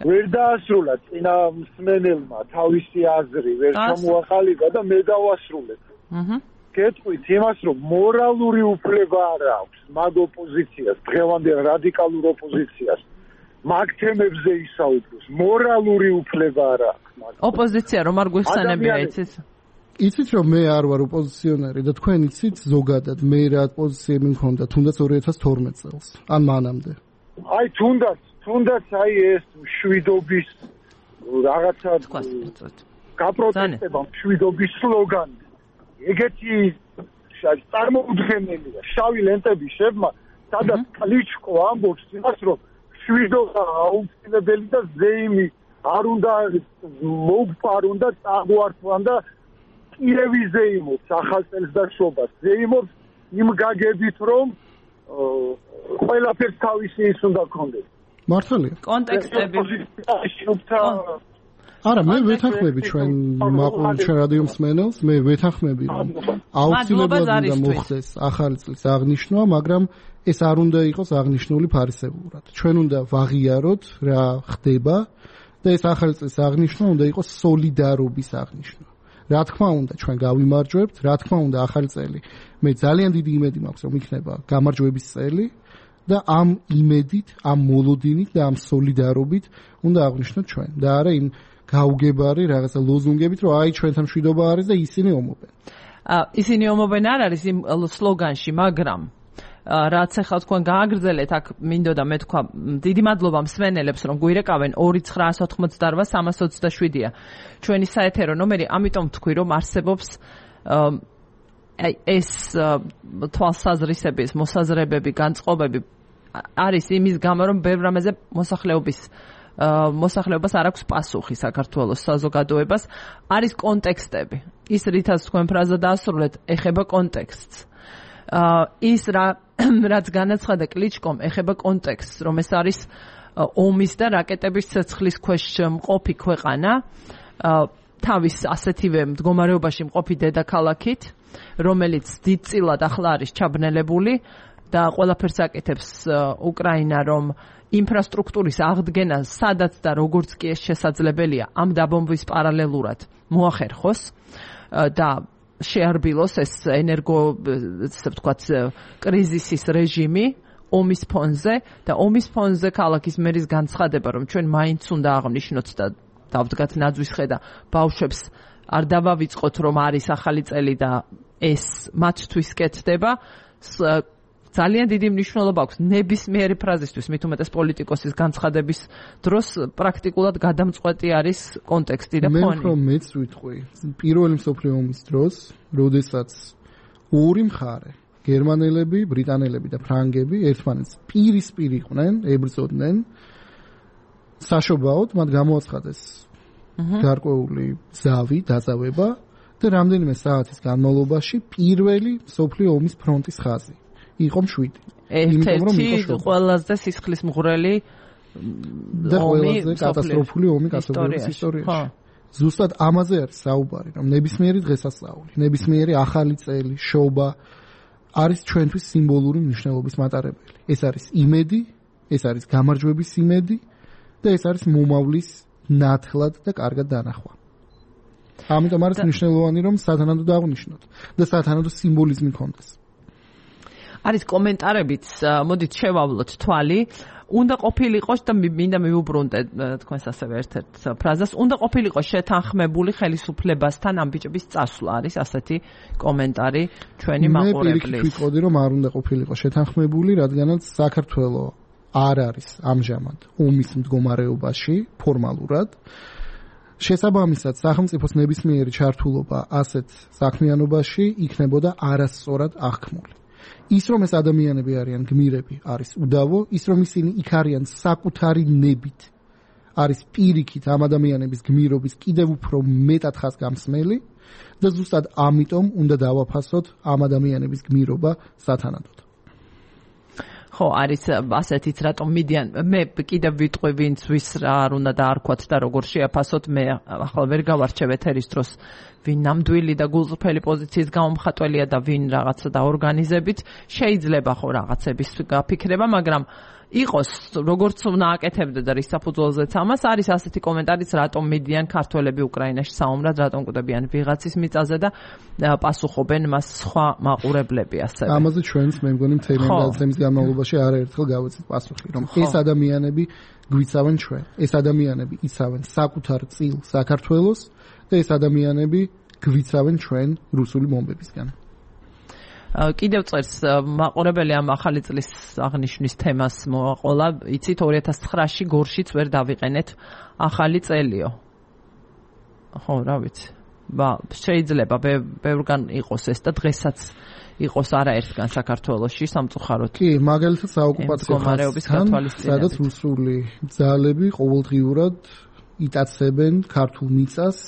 ვერ დაასრულა წინა მსმენელმა თავისი აზრი, ვერ ჩამოაყალიბა და მე დავასრულებ. აჰა. გეტყვით იმას, რომ მორალური უფლება არ აქვს მაგ ოპოზიციას, დღევანდელ რადიკალურ ოპოზიციას. მაგ თემებზე ისაუბროს, მორალური უფლება არ აქვს. ოპოზიცია რომ არ გვიხსენებია იცით? იცით რომ მე არ ვარ ოპოზიციონერი და თქვენ იცით ზოგადად მე რა პოზიციები მქონდა თუნდაც ორი ათას თორმეტ წელს ან მანამდე. აი თუნდაც თუნდაც აი ეს მშვიდობის რაღაცა გაპროტესტება მშვიდობის სლოგანი. ეგეთი წარმოუდგენელია. შავი ლენტები შევა, სადაც კლიჩკო ამბობს იმას, რომ მშვიდობა აუცილებელი და ზეიმი არ უნდა მოგვა, არ უნდა წაგვართვან და კიევი ზეიმობს ახალ წელს და შობას. ზეიმობს იმ გაგებით, რომ ყველაფერს თავისი ის უნდა გქონდეს. მართალია. კონტექსტები. არა, მე ვეთანხმები ჩვენ მაყურებელ ჩვენ რადიო მსმენელს, მე ვეთანხმები რომ აუცილებლად უნდა მოხდეს ახალი წლის აღნიშვნა, მაგრამ ეს არ უნდა იყოს აღნიშნული ფარისეულად. ჩვენ უნდა ვაღიაროთ რა ხდება და ეს ახალი წლის აღნიშვნა უნდა იყოს სოლიდარობის აღნიშვნა. რა თქმა უნდა ჩვენ გავიმარჯვებთ, რა თქმა უნდა ახალი წელი. მე ძალიან დიდი იმედი მაქვს რომ იქნება გამარჯვების წელი და ამ იმედით, ამ მოლოდინით და ამ სოლიდარობით უნდა აღნიშნოთ ჩვენ და არა იმ გაუგებარი რაღაცა ლოზუნგებით, რომ აი ჩვენთან მშვიდობა არის და ისინი ომობენ. აა ისინი ომობენ არ არის იმ სლოგანში, მაგრამ რაც ახლა თქვენ გააგრძელეთ, აქ მინდოდა მე თქვა, დიდი მადლობა მსმენელებს, რომ გვირეკავენ ორი ცხრაას ოთხმოცდაორვა სამას ოცდაშვიდია. ჩვენი საეთერო ნომერი, ამიტომ თქვი, რომ არსებობს აი ეს თვალსაზრისების, მოსაზრებები, განწყობები არის იმის გამო, რომ ბევრ რამეზე მოსახლეობის მოსახლეობას არ აქვს პასუხი საქართველოს საზოგადოებას, არის კონტექსტები. ის რითაც თქვენ ფრაზა დაასრულეთ, ეხება კონტექსტს. ის რა რაც განაცხადა კლიჩკომ, ეხება კონტექსტს, რომ ეს არის ომის და რაკეტების ცეცხლის ქვეშ მყოფი ქვეყანა, თავის ასეთივე მდგომარეობაში მყოფი დედაქალაქით, რომელიც დიდწილად ახლა არის ჩაბნელებული და ყველაფერს აკეთებს უკრაინა, რომ ინფრასტრუქტურის აღდგენა სადაც და როგორც კი ეს შესაძლებელია ამ დაბომბვის პარალელურად მოახერხოს და შეარბილოს ეს ენერგო, ასე ვთქვათ, კრიზისის რეჟიმი ომის ფონზე და ომის ფონზე ქალაქის მერის განცხადება, რომ ჩვენ მაინც უნდა აღნიშნოთ და დავდგათ ნაძვის ხედა ბავშვებს არ დავავიწყოთ, რომ არის ახალი წელი და ეს მათთვის კეთდება. ძალიან დიდი მნიშვნელობა აქვს ნებისმიერი ფრაზისთვის, მით უმეტეს პოლიტიკოსის განცხადების დროს პრაქტიკულად გადამწყვეტი არის კონტექსტი და ფონი. მე უფრო მეც ვიტყვი, პირველი მსოფლიო ომის დროს, როდესაც ორი მხარე, გერმანელები, ბრიტანელები და ფრანგები ერთმანეთს პირისპირ იყვნენ, ებრძოდნენ. საშობაოდ მათ გამოაცხადეს გარკვეული ზავი, დაზავება და რამდენიმე საათის განმავლობაში პირველი მსოფლიო ომის ფრონტის ხაზი იყო მშვიდი. ერთ-ერთი ყველაზე სისხლისმღვრელი და ყველაზე კატასტროფული ომი კაცობრიობის ისტორიაში. ზუსტად ამაზე არის საუბარი, რომ ნებისმიერი დღესასწაული, ნებისმიერი ახალი წელი, შობა არის ჩვენთვის სიმბოლური მნიშვნელობის მატარებელი. ეს არის იმედი, ეს არის გამარჯვების იმედი და ეს არის მომავლის ნათლად და კარგად დანახვა. ამიტომ არის მნიშვნელოვანი, რომ სათანადოდ აღნიშნოთ და სათანადო სიმბოლიზმი ქონდეს. არის კომენტარებიც, მოდით შევავლოთ თვალი. უნდა ყოფილიყო და მინდა მივუბრუნდე თქვენს ასევე ერთ-ერთ ფრაზას. უნდა ყოფილიყო შეთანხმებული ხელისუფლებასთან ამ ბიჭების წასვლა, არის ასეთი კომენტარი ჩვენი მაყურებლის. მე პირიქით ვიტყოდი, რომ არ უნდა ყოფილიყო შეთანხმებული, რადგანაც საქართველო არ არის ამჟამად ომის მდგომარეობაში ფორმალურად. შესაბამისად, სახელმწიფოს ნებისმიერი ჩართულობა ასეთ საქმიანობაში იქნებოდა არასწორად აღქმული. ის რომ ეს ადამიანები არიან გმირები, არის უდავო, ის რომ ისინი იქ არიან საკუთარი ნებით, არის პირიქით ამ ადამიანების გმირობის კიდევ უფრო მეტად ხაზგამსმელი და ზუსტად ამიტომ უნდა დავაფასოთ ამ ადამიანების გმირობა სათანადოდ. ხო, არის ასეთიც რატომ მიდიან, მე კიდევ ვიტყვი ვინც ვის რა არ უნდა დაარქვათ და როგორ შეაფასოთ, მე ახლა ვერ გავარჩევ ეთერის დროს ვინ ნამდვილი და გულწრფელი პოზიციის გამომხატველია და ვინ რაღაცა დაორგანიზებით, შეიძლება ხო რაღაცების გაფიქრება, მაგრამ იყოს როგორც უნდა აკეთებდე და რის საფუძველზეც ამას არის ასეთი კომენტარიც რატომ მიდიან ქართველები უკრაინაში საომრად, რატომ კვდებიან ვიღაცის მიწაზე და პასუხობენ მას სხვა მაყურებლები ასევე. ამაზე ჩვენს მე მგონი მთელი გადაცემის განმავლობაში არაერთხელ გავეცით პასუხი, რომ ეს ადამიანები გვიცავენ ჩვენ, ეს ადამიანები იცავენ საკუთარ წილ საქართველოს და ეს ადამიანები გვიცავენ ჩვენ რუსული ბომბებისგან. კიდევ წერს მაყურებელი ამ ახალი წლის აღნიშვნის თემას მოაყოლა, იცით ორი ათას ცხრაში გორშიც ვერ დავიყენეთ ახალი წელიო. ხო, რა ვიცი. ბა, შეიძლება ბევრგან იყოს ეს და დღესაც იყოს არაერთგან საქართველოში სამწუხაროდ. კი, მაგალითად საოკუპაციო ხანიდან, სადაც რუსული ძალები ყოველდღიურად იტაცებენ ქართულ მიწას,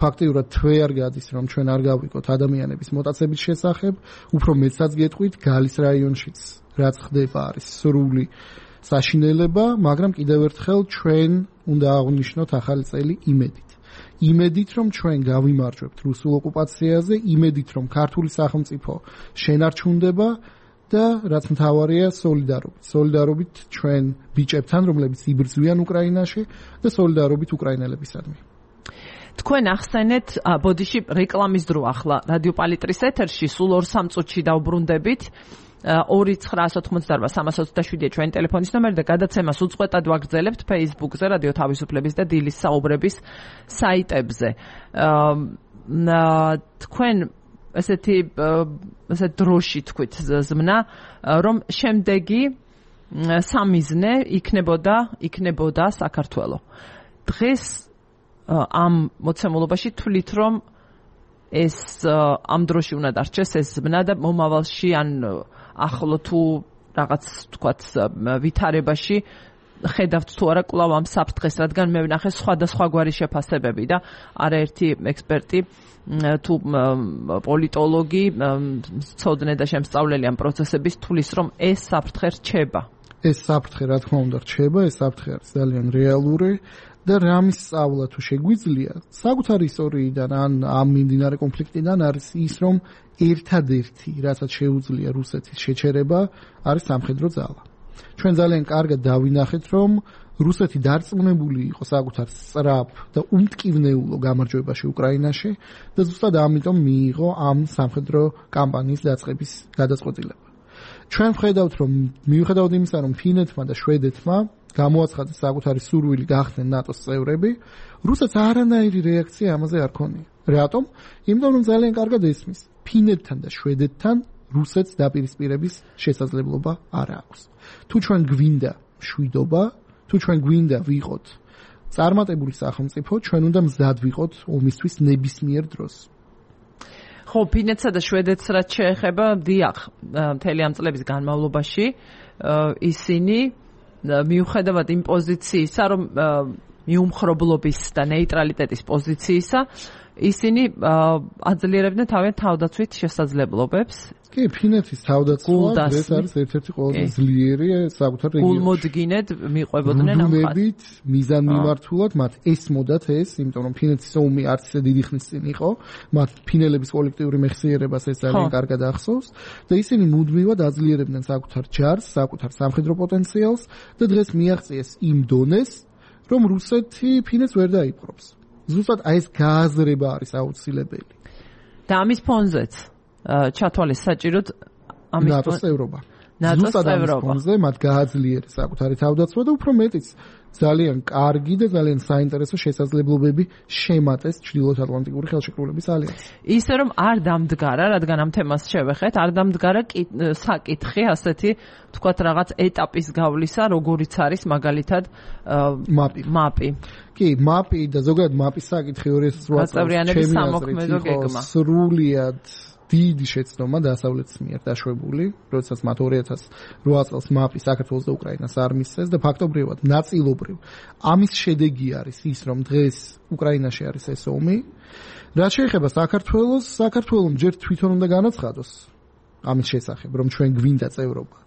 ფაქტიურად თვე არ გადის, რომ ჩვენ არ გავიკოთ ადამიანების მოტაცების შესახებ, უფრო მეცაც გეტყვით, გალის რაიონშიც რაც ხდება არის სრული საშინელება, მაგრამ კიდევ ერთხელ ჩვენ უნდა აღვნიშნოთ ახალი წელი იმედით. იმედით, რომ ჩვენ გავიმარჯვებთ რუსულ ოკუპაციაზე, იმედით, რომ ქართული სახელმწიფო შენარჩუნდება და რაც მთავარია სოლიდარობით. სოლიდარობით ჩვენ ბიჭებთან, რომლებიც იბრძვიან უკრაინაში და სოლიდარობით უკრაინელებისადმი. თქვენ ახსენეთ, ბოდიში რეკლამის დრო ახლა რადიო პალიტრის ეთერში სულ ორ სამ წუთში დავბრუნდებით. ორი ცხრაასი ოთხმოცდაარბა სამას ოცდაშვიდია ჩვენი ტელეფონის ნომერი და გადაცემას უწყვეტად ვაგრძელებთ Facebook-ზე, რადიო თავისუფლების და დილის საუბრების საიტებზე. თქვენ ესეთი ესე დროში თქვით ზმნა, რომ შემდეგი სამიზნე იქნებოდა იქნებოდა საქართველო. დღეს ამ მოცემულობაში თვლით, რომ ეს ამ დროში უნდა დარჩეს ეს ზმნა და მომავალში ან ახლო თუ რაღაც თქვათ ვითარებაში ხედავთ თუ არა კვლავ ამ საფრთხეს, რადგან მე ვნახე სხვადასხვა გვარი შეფასებები და არაერთი ექსპერტი თუ პოლიტოლოგი ცოდნე და შემსწავლელი ამ პროცესების თulis რომ ეს საფრთხე რჩება. ეს საფრთხე რა თქმა უნდა რჩება, ეს საფრთხე არის ძალიან რეალური და რამის სწავლა თუ შეგვიძლია საკუთარი ისტორიიდან ან ამ მიმდინარე კონფლიქტიდან არის ის, რომ ერთადერთი რასაც შეუძლია რუსეთის შეჩერება არის სამხედრო ძალა. ჩვენ ძალიან კარგად დავინახეთ, რომ რუსეთი დარწმუნებული იყო საკუთარ სწრაფ და უმტკივნეულო გამარჯვებაში უკრაინაში და ზუსტად ამიტომ მიიღო ამ სამხედრო კამპანიის დაწყების გადაწყვეტილება. ჩვენ ვხედავთ, რომ მიუხედავად იმისა, რომ ფინეთმა და შვედეთმა გამოაცხადეს საკუთარი სურვილი გახდნენ ნატოს წევრები, რუსეთს არანაირი რეაქცია ამაზე არ ქონია. რატომ? იმიტომ რომ ძალიან კარგად ესმის, ფინეთთან და შვედეთთან რუსეთს დაპირისპირების შესაძლებლობა არ აქვს. თუ ჩვენ გვინდა მშვიდობა, თუ ჩვენ გვინდა ვიყოთ წარმატებული სახელმწიფო, ჩვენ უნდა მზად ვიყოთ ომისთვის ნებისმიერ დროს. ხო, ფინეთსა და შვედეთს რაც შეეხება, დიახ, მთელი ამ წლების განმავლობაში ისინი მიუხედავად იმ პოზიციისა, რომ მიუმხრობლობის და ნეიტრალიტეტის პოზიციისა, ისინი აძლიერებდნენ თავიანთ თავდაცვით შესაძლებლობებს. კი, ფინეთის თავდაცვა ეს არის ერთ-ერთი ყველაზე ძლიერი საკუთარ რეგიონში. გულმოდგინედ მიყვებოდნენ ამ ხალხს. მიზანმიმართულად მათ ესმოდათ ეს, იმიტომ რომ ფინეთის ომი არც ისე დიდი ხნის წინ იყო, მათ ფინელების კოლექტიური მეხსიერებას ეს ძალიან კარგად ახსოვს და ისინი მუდმივად აძლიერებდნენ საკუთარ ჯარს, საკუთარ სამხედრო პოტენციალს და დღეს მიაღწიეს იმ დონეს, რომ რუსეთი ფინეთს ვერ დაიპყრობს. ზუსტად აი ეს გააზრება არის აუცილებელი. და ამის ფონზეც ჩათვალეს საჭიროდ ამის ნატოს წევრობა. ზუსტად ამის ფონზე მათ გააძლიერეს საკუთარი თავდაცვა და უფრო მეტიც ძალიან კარგი და ძალიან საინტერესო შესაძლებლობები შემატეს ჩრდილოეთ ატლანტიკური ხელშეკრულების ალიანსს. ისე რომ არ დამდგარა, რადგან ამ თემას შევეხეთ, არ დამდგარა საკითხი ასეთი თქვათ რაღაც ეტაპის გავლისა, როგორიც არის მაგალითად მაპი. მაპი. კი, მაპი და ზოგადად მაპის საკითხი ორი ათას რვა წელს ჩემი სრულიად დიდი შეცდომა დასავლეთის მიერ დაშვებული, როდესაც მათ ორი ათას რვა წელს მაპი საქართველოს და უკრაინას არ მისცეს და ფაქტობრივად ნაწილობრივ ამის შედეგი არის ის, რომ დღეს უკრაინაში არის ეს ომი. რაც შეეხება საქართველოს, საქართველოს ჯერ თვითონ უნდა განაცხადოს ამის შესახებ, რომ ჩვენ გვინდა წევრობა.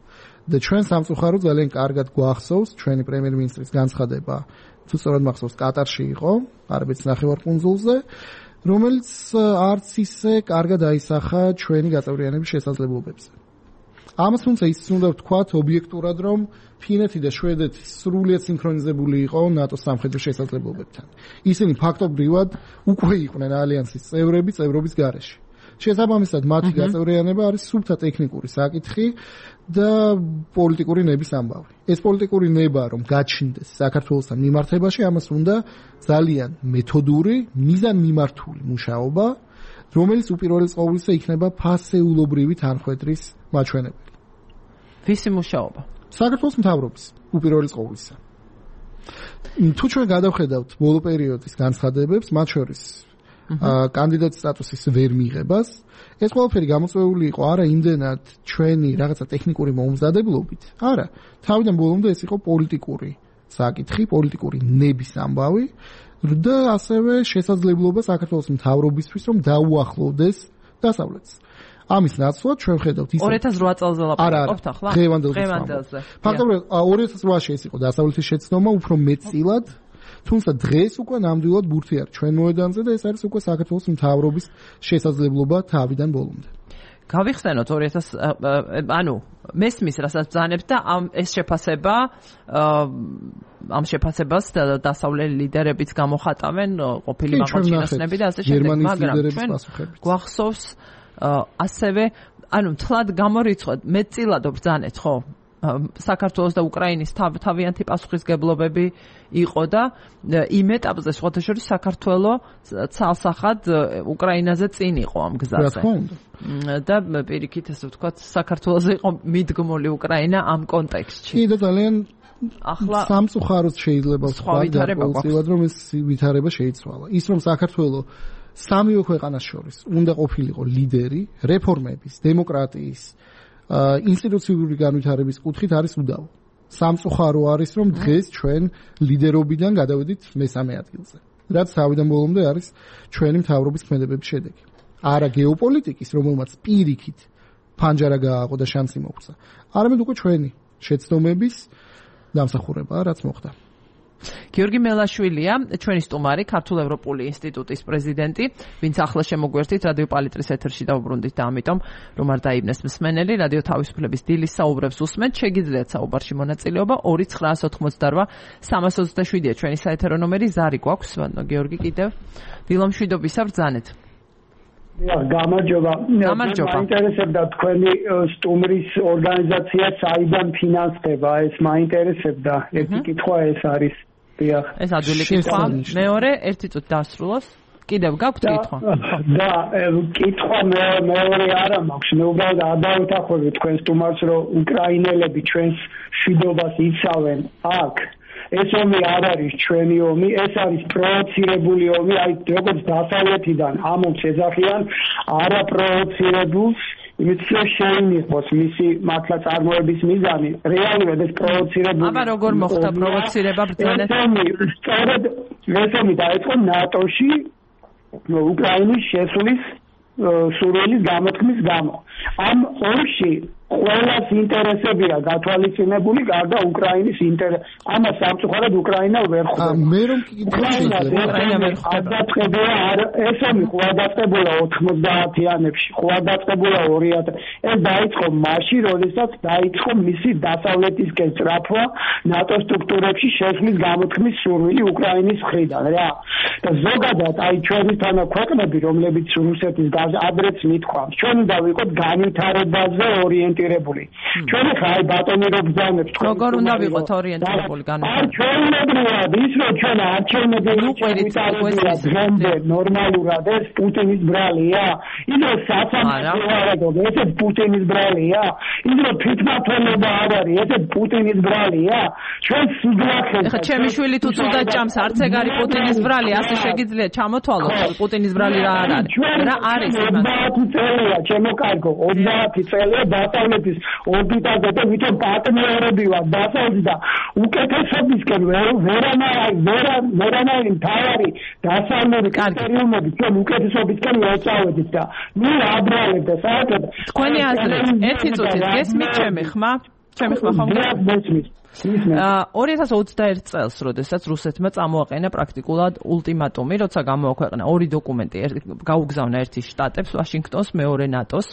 და ჩვენ სამწუხაროდ ძალიან კარგად გვახსოვს ჩვენი პრემიერ-მინისტრის განცხადება, თუ სწორად მახსოვს, კატარში იყო, არაბეთის ნახევარკუნძულზე, რომელიც არც ისე კარგად აისახა ჩვენი გაწევრიანების შესაძლებლობებზე. ამას თუმცა ის უნდა ვთქვათ ობიექტურად, რომ ფინეთი და შვედეთი სრულიად სინქრონიზებული იყო ნატოს სამხედრო შესაძლებლობებთან. ისინი ფაქტობრივად უკვე იყვნენ ალიანსის წევრები წევრობის გარეშე. შესაბამისად, მათი გაწევრიანება არის სუფთა ტექნიკური საკითხი და პოლიტიკური ნების ამბავი. ეს პოლიტიკური ნება, რომ გაჩნდეს საქართველოსთან მიმართებაში, ამას უნდა ძალიან მეთოდური, მიზანმიმართული მუშაობა, რომელიც უპირველეს ყოვლისა იქნება ფასეულობრივი თანხმედრის მაჩვენებელი. ვისი მუშაობა? საქართველოს მთავრობის უპირველეს ყოვლისა. თუ ჩვენ გადავხედავთ ბოლო პერიოდის განცხადებებს, მათ შორის კანდიდატის სტატუსის ვერ მიღებას, ეს ყველაფერი გამოწვეული იყო არა იმდენად ჩვენი რაღაცა ტექნიკური მომზადებლობით, არა, თავიდან ბოლომდე ეს იყო პოლიტიკური საკითხი, პოლიტიკური ნების ამბავი და ასევე შესაძლებლობა საქართველოს მთავრობისთვის, რომ დაუახლოვდეს დასავლეთს. ამის ნაცვლად ჩვენ ვხედავთ ის ორი ათას რვა წელზე ლაპარაკობთ ახლა? დღევანდელზე. ფაქტობრივად ორი ათას რვაში ეს იყო დასავლეთის შეცდომა, უფრო მეტწილად, თუმცა დღეს უკვე ნამდვილად ბურთი არის ჩვენ მოედანზე და ეს არის უკვე საქართველოს მთავრობის შესაძლებლობა თავიდან ბოლომდე. გავიხსენოთ ორი ათას ანუ მესმის რასაც ბრძანებთ და ამ ეს შეფასება ამ შეფასებას დასავლელი ლიდერებიც გამოხატავენ, ყოფილი მაღალჩინოსნები და ასე შემდეგ, მაგრამ ჩვენ გვახსოვს ასევე ანუ თლად გამორიცხოთ მეტწილად ბრძანეთ, ხო? საქართველოს და უკრაინის თავიანთი პასუხისგებლობები იყო და იმ ეტაპზე სხვათა შორის საქართველოს ცალსახად უკრაინაზე წინ იყო ამ გზაზე. და პირიქით ესე ვთქვათ, საქართველოს იყო მიდგმული უკრაინა ამ კონტექსტში. კი და ძალიან ახლა სამწუხაროდ შეიძლება ვთქვათ, რომ ეს ვითარება შეიცვალა. ის რომ საქართველოს სამივე ქვეყანას შორის უნდა ყოფილიყო ლიდერი რეფორმების, დემოკრატიის, ინსტიტუციური განვითარების კუთხით არის უდავო. სამწუხარო არის, რომ დღეს ჩვენ ლიდერობიდან გადავედით მესამე ადგილზე. რაც თავიდან ბოლომდე არის ჩვენი მთავრობის ქმედებების შედეგი. არა გეოპოლიტიკის, რომელმაც პირიქით ფანჯარა გააყო და შანსი მოგვცა. არამედ უკვე ჩვენი შეცდომების დამსახურებაა, რაც მოხდა. გიორგი მელაშვილია, ჩვენი სტუმარი, ქართულ-ევროპული ინსტიტუტის პრეზიდენტი, ვინც ახლა შემოგვერთით რადიო პალიტრის ეთერში დავუბრუნდით და ამიტომ რომ არ დაიბნეს მსმენელი, რადიო თავისუფლების დილის საუბრებს უსმენთ, შეგიძლიათ საუბარში მონაწილეობა ორი ცხრაას ოცდაოთხმოცდარვა სამას ოცდაშვიდია ჩვენი საეთერო ნომერი, ზარი გვაქვს, გიორგი კიდევ დილომშვიდობისა ბრძანეთ. გამარჯობა. გამარჯობა. მაინტერესებდა თქვენი სტუმრის ორგანიზაცია საიდან ფინანსდება, ეს მაინტერესებდა. ერთი კითხვა ეს არის. დიახ. ეს ადვილი კითხვა. მეორე, ერთი წუთი დასრულოს. კიდევ გაქვთ კითხვა? და კითხვა მეორე არა მაქვს. მე უბრალოდ ადავეთახები თქვენ სტუმარს, რომ უკრაინელები ჩვენს შვიდობას იცავენ აქ. ეს ომი არ არის ჩვენი ომი, ეს არის პროვოცირებული ომი, აი როგორც დასავლეთიდან ამ ომს ეძახიან არაპროვოცირებულს, იმისთვის შეიმიღოს მისი მართლა წარმოების მიზანი, რეალურად ეს პროვოცირებული. აბა როგორ მოხდა პროვოცირება ბრძოლას? სწორედ ეს ომი დაიწყო ნატოში უკრაინის შესulis სურვილის გამოთქმის გამო. ამ ომში ყველას ინტერესებია გათვალისწინებული გარდა უკრაინის ინტერესს. ამას სამწუხაროდ უკრაინა ვერ ხვდება. მე რომ უკრაინა ვერ ხვდება. ეს ომი ყურადღებულა ოთხმოცდაათიანებში, ყურადღებულა ორი ათი. ეს დაიწყო მაშინ, როდესაც დაიწყო მისი დასავლეთისკენ სწრაფვა ნატო სტრუქტურებში შესulis გამოთქმის სურვილი უკრაინის მხრიდან რა. და ზოგადად აი ჩვენი თანაქვეყნები, რომლებიც რუსეთის ადრეც მithქვამს, ჩვენ უნდა ვიყოთ განვითარებაზე ორიენტირებული. ჩვენ ხა აი ბატონი რო ბრძანებს თქვენ. როგორ უნდა ვიყოთ ორიენტირებული განვითარებაზე? ჩვენებრივად ის რომ ჩვენ არჩევნები ვიყავით ნორმალურად ეს პუტინის ბრალია. ის რომ საცამართლო ეს პუტინის ბრალია. ის რომ თვითმართველობა არ არის ეს პუტინის ბრალია. ჩვენ სიგლახეს. ეხლა ჩემი შვილი თუ თუნდაც ჭამს არც ეგ არის პუტინის ბრალი, ასე შეგიძლია ჩამოთვალოთ პუტინის ბრალი რა არ არის. რა არის იმას? ოცდაათი წელია ჩემო კარგო, ოცდაათი წელია დასავლეთის ორბიტაზე და ვითომ პარტნიორები ვარ დასავლეთის და უკეთესობისკენ ვერანაირი ვერანაირი მთავარი დასავლური კრიტერიუმები ჩვენ უკეთესობისკენ ვეწავედით და ნუ აბრალებ და საერთოდ თქვენი აზრით ერთი წუთით გესმით ჩემი ხმა? ჩემი ხმა ხომ გესმით? ორი ათას ოცდაერთი წელს, როდესაც რუსეთმა წამოაყენა პრაქტიკულად ულტიმატუმი, როცა გამოაქვეყნა ორი დოკუმენტი, გაუგზავნა ერთი შტატებს, ვაშინგტონს, მეორე ნატოს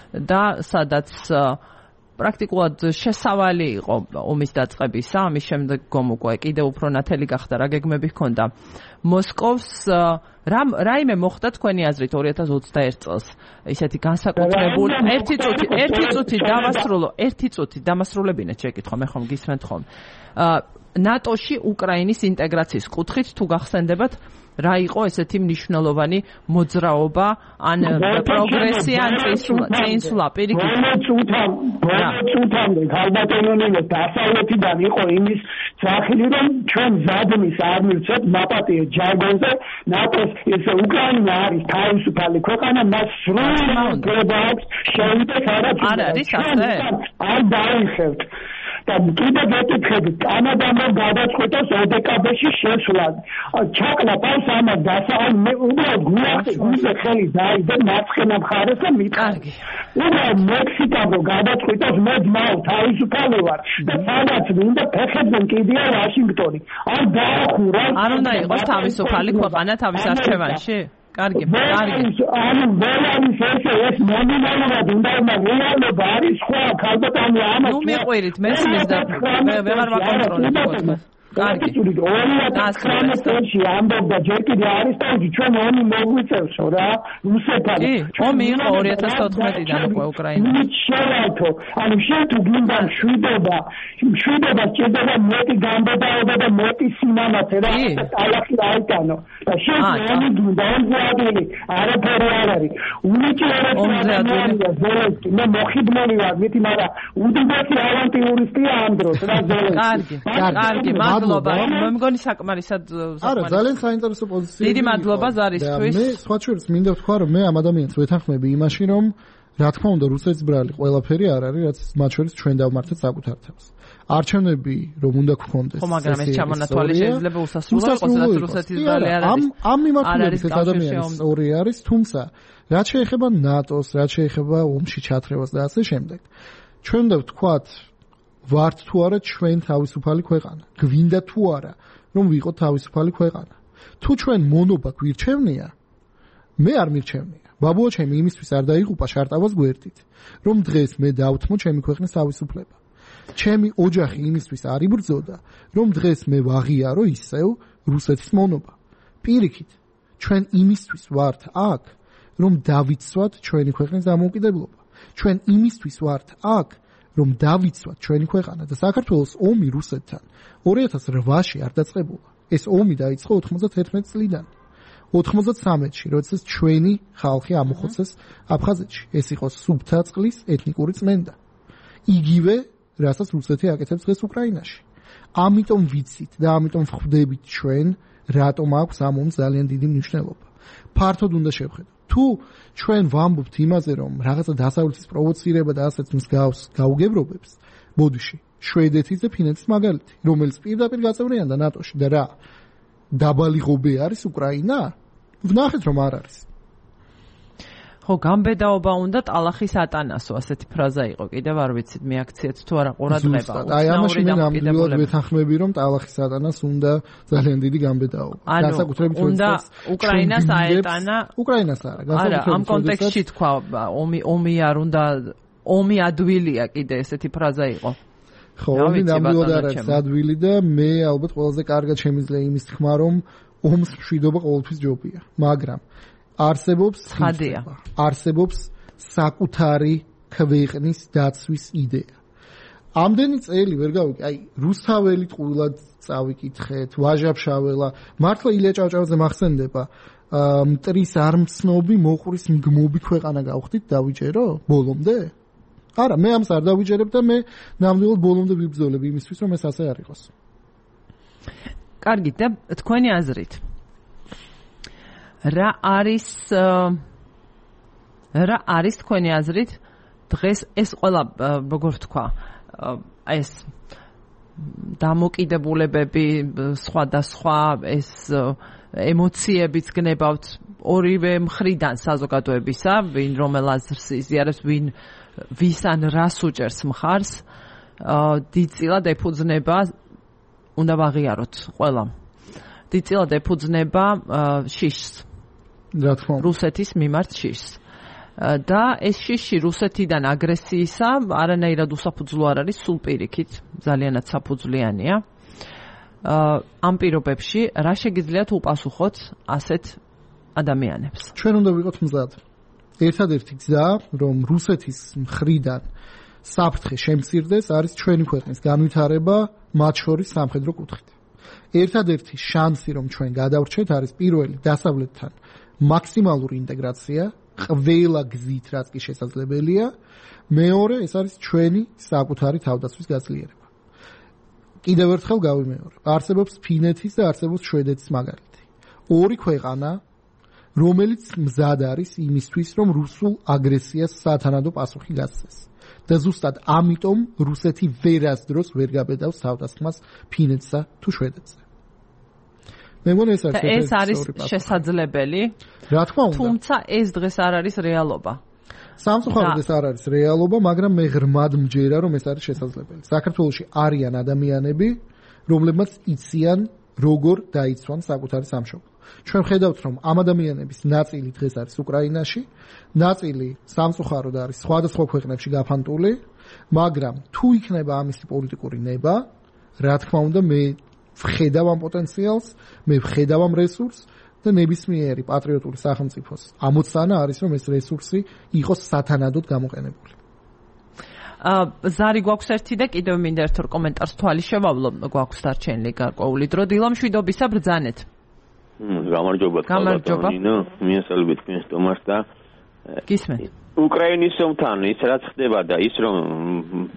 და სადაც პრაქტიკულად შესავალი იყო ომის დაწყებისა, ამის შემდეგ გომოკვე კიდევ უფრო ნათელი გახდა, რა გეგმები ჰქონდა მოსკოვს. რაიმე მოხდა თქვენი აზრით ორი ათას ოცდაერთი წელს ისეთი განსაკუთრებული ერთი წუთი ერთი წუთი დავასრულო ერთი წუთი დამასრულებინეთ შეკითხვა მე ხომ გისმენთ ხომ ნატოში უკრაინის ინტეგრაციის კუთხით თუ გახსენდებათ რა იყო ესეთი მნიშვნელოვანი მოძრაობა ან პროგრესი ან წინსვლა პირიქით წუთამდე ხალბატონონილო დასავლეთიდან იყო იმის სახელი რომ ჩვენ ზადმის არ მივცეთ მაპატიე ჯარგონზე ნატოს ესე უკრაინა არის თავისუფალი ქვეყანა მას სრულად გლობალს შევიდეს არ არის ასე არ დაიხევთ და კიდე გეტყვით კანადამ გადაწყვიტოს ოდეკაბეში შესვლა ჩაკლა პავს ამას დასავალ მე უბრალოდ გულახი გულზე ხელი დაიდე მარცხენა მხარეს და მიყარგი უბრალოდ მექსიკამ გადაწყვიტოს მე ძმაო თავისუფალი ვარ და სადაც მინდა ფეხებიდან კიდია ვაშინგტონი არ დაახურა არ უნდა იყოს თავისუფალი ქვეყანა თავის არჩევანში კარგი, კარგი. ანუ ბოლანის ესე ეს ნომინალურად უნდა რეალობა არის სხვა ქალბატონი ამას. ნუ მიყვირით მესმის და ვეღარ ვაკონტროლებ თქვენ. კარგი. ორი ათას წელს ამბობდა ჯერ კიდე არის თავი ჩვენ ომი მოგვიწევსო რა რუსეთთან. კი, ომი იყო ორი ათას თოთხმეტიდან უკვე უკრაინა. შეერთო, ანუ შენ თუ გინდა შვიდობა, შვიდობა ჭირდება მეტი გამბედაობა და მეტი სიმამაცე რა ალახი აიტანო. და შენ ომი გინდა ომზეადული, არაფერი არ არის. უნიჭიერებს ზელენსკი, მე მოხიბლული ვარ, მითი მაგრამ უდიდესი ავანტიურისტია ამ დროს რა ზელენსკი. კარგი, კარგი, მადლობა. მე მგონი საკმარისად არა, ძალიან საინტერესო პოზიცია. დიდი მადლობა ზარისთვის. მე სხვა შორის მინდა ვთქვა, რომ მე ამ ადამიანს ვეთანხმები იმაში, რომ რა თქმა უნდა რუსეთის ბრალი ყველაფერი არ არის, რაც მათ შორის ჩვენ დავმართეთ საკუთარ თავს. არჩევნები რომ უნდა გქონდეს. ხო, მაგრამ ეს ჩამონათვალი შეიძლება უსასრულო იყოს, რაც რუსეთის ბრალი არ არის. ამ ამ მიმართულებით ეს ადამიანის ორი არის, თუმცა რაც შეეხება ნატოს, რაც შეეხება ომში ჩათრევას და ასე შემდეგ. ჩვენ უნდა ვთქვათ ვართ თუ არა ჩვენ თავისუფალი ქვეყანა. გვინდა თუ არა რომ ვიყოთ თავისუფალი ქვეყანა. თუ ჩვენ მონობა გვირჩევნია, მე არ მირჩევნია. ბაბუა ჩემი იმისთვის არ დაიღუპა შარტავას გვერდით, რომ დღეს მე დავთმო ჩემი ქვეყნის თავისუფლება. ჩემი ოჯახი იმისთვის არ იბრძოდა, რომ დღეს მე ვაღიარო ისევ რუსეთის მონობა. პირიქით, ჩვენ იმისთვის ვართ აქ, რომ დავიცვათ ჩვენი ქვეყნის დამოუკიდებლობა. ჩვენ იმისთვის ვართ აქ, რომ დავიცვათ ჩვენი ქვეყანა და საქართველოს ომი რუსეთთან ორი ათას რვაში არ დაწყებულა. ეს ომი დაიწყო ოთხმოცდათერთმეტი წლიდან. ოთხმოცდათრამეტში, როდესაც ჩვენი ხალხი ამოხოცეს აფხაზეთში. ეს იყო სუფთა წყლის ეთნიკური წმენდა. იგივე, რასაც რუსეთი აკეთებს დღეს უკრაინაში. ამიტომ ვიცით და ამიტომ ვხვდებით ჩვენ, რატომ აქვს ამ ომს ძალიან დიდი მნიშვნელობა. ფართოდ უნდა შევხედოთ. თუ ჩვენ ვამბობთ იმაზე, რომ რაღაცა დასავლეთის პროვოცირება და ასეც მსგავს გაუგებრობებს, ბოდიში, შვედეთის და ფინეთის მაგალითი, რომელიც პირდაპირ გაწევრიანდა ნატოში და რა დაბალი ღობე არის უკრაინა? ვნახეთ რომ არ არის. ხო, გამბედაობა უნდა ტალახის ატანასო, ასეთი ფრაზა იყო. კიდევ არ ვიცით მეაქციეთ თუ არა ყურადღება. აი ამაში მე ნამდვილად ვეთანხმები რომ ტალახის ატანას უნდა ძალიან დიდი გამბედაობა. განსაკუთრებით უნდა უკრაინას აეტანა. უკრაინას არა, განსაკუთრებით ამ კონტექსტში თქვა ომი ომი არ უნდა ომი ადვილია კიდე ესეთი ფრაზა იყო. ხო, ომი ნამდვილად არ არის ადვილი და მე ალბათ ყველაზე კარგად შემიძლია იმის თქმა რომ ომს მშვიდობა ყოველთვის ჯობია, მაგრამ არსებობს ხადია. არსებობს საკუთარი ქვეყნის დაცვის იდეა. ამდენი წელი ვერ გავიკი, აი რუსთაველი ტყუილად წავიკითხეთ, ვაჟაფშაველა, მართლა ილია ჭავჭავაძე მახსენდება, მტრის არმცნობი მოყრის მგმობი ქვეყანა გავხდით დავიჯერო ბოლომდე? არა, მე ამს არ დავიჯერებ და მე ნამდვილად ბოლომდე ვიბრძოლებ იმისთვის, რომ ეს ასე არ იყოს. კარგი და თქვენი აზრით რა არის რა არის თქვენი აზრით დღეს ეს ყველა როგორ თქვა ეს დამოკიდებულებები სხვადასხვა ეს ემოციებიც გნებავთ ორივე მხრიდან საზოგადოებისა ვინ რომელ აზრს იზიარებს ვინ ვის ან რას უჭერს მხარს დიდწილად ეფუძნება უნდა ვაღიაროთ ყველა დიდწილად ეფუძნება შიშს რა თქმა უნდა რუსეთის მიმართ შიშს და ეს შიში რუსეთიდან აგრესიისა არანაირად უსაფუძვლო არ არის სულ პირიქით ძალიანაც საფუძვლიანია ამ პირობებში რა შეგიძლიათ უპასუხოთ ასეთ ადამიანებს ჩვენ უნდა ვიყოთ მზად ერთადერთი გზა რომ რუსეთის მხრიდან საფრთხე შემცირდეს არის ჩვენი ქვეყნის განვითარება მათ შორის სამხედრო კუთხით ერთადერთი შანსი რომ ჩვენ გადავრჩეთ არის პირველი დასავლეთთან მაქსიმალური ინტეგრაცია ყველა გზით რაც კი შესაძლებელია მეორე ეს არის ჩვენი საკუთარი თავდაცვის გაძლიერება კიდევ ერთხელ გავიმეორებ არსებობს ფინეთის და არსებობს შვედეთის მაგალითი ორი ქვეყანა რომელიც მზად არის იმისთვის რომ რუსულ აგრესიას სათანადო პასუხი გასცეს და ზუსტად ამიტომ რუსეთი ვერასდროს ვერ გაბედავს თავდასხმას ფინეთსა თუ შვედეთზე მე მგონი ეს არის ეს არის შესაძლებელი რა თქმა უნდა თუმცა ეს დღეს არ არის რეალობა სამწუხაროდ ეს არ არის რეალობა მაგრამ მე ღრმად მჯერა რომ ეს არის შესაძლებელი საქართველოში არიან ადამიანები რომლებმაც იციან როგორ დაიცვან საკუთარი სამშობლო ჩვენ ხედავთ რომ ამ ადამიანების ნაწილი დღეს არის უკრაინაში ნაწილი სამწუხაროდ არის სხვადასხვა ქვეყნებში გაფანტული მაგრამ თუ იქნება ამისი პოლიტიკური ნება რა თქმა უნდა მე ვხედავ ამ პოტენციალს მე ვხედავ ამ რესურსს და ნებისმიერი პატრიოტული სახელმწიფოს ამოცანა არის რომ ეს რესურსი იყოს სათანადოდ გამოყენებული აა ზარი გვაქვს ერთი და კიდევ მინდა ერთ-ორ კომენტარს თვალი შევავლო გვაქვს დარჩენილი გარკვეული დრო დილა მშვიდობისა ბრძანეთ გამარჯობა გამარჯობა მიესალმებით თქვენს ტომას და გისმენთ უკრაინის ომთან ის რაც ხდება და ის რომ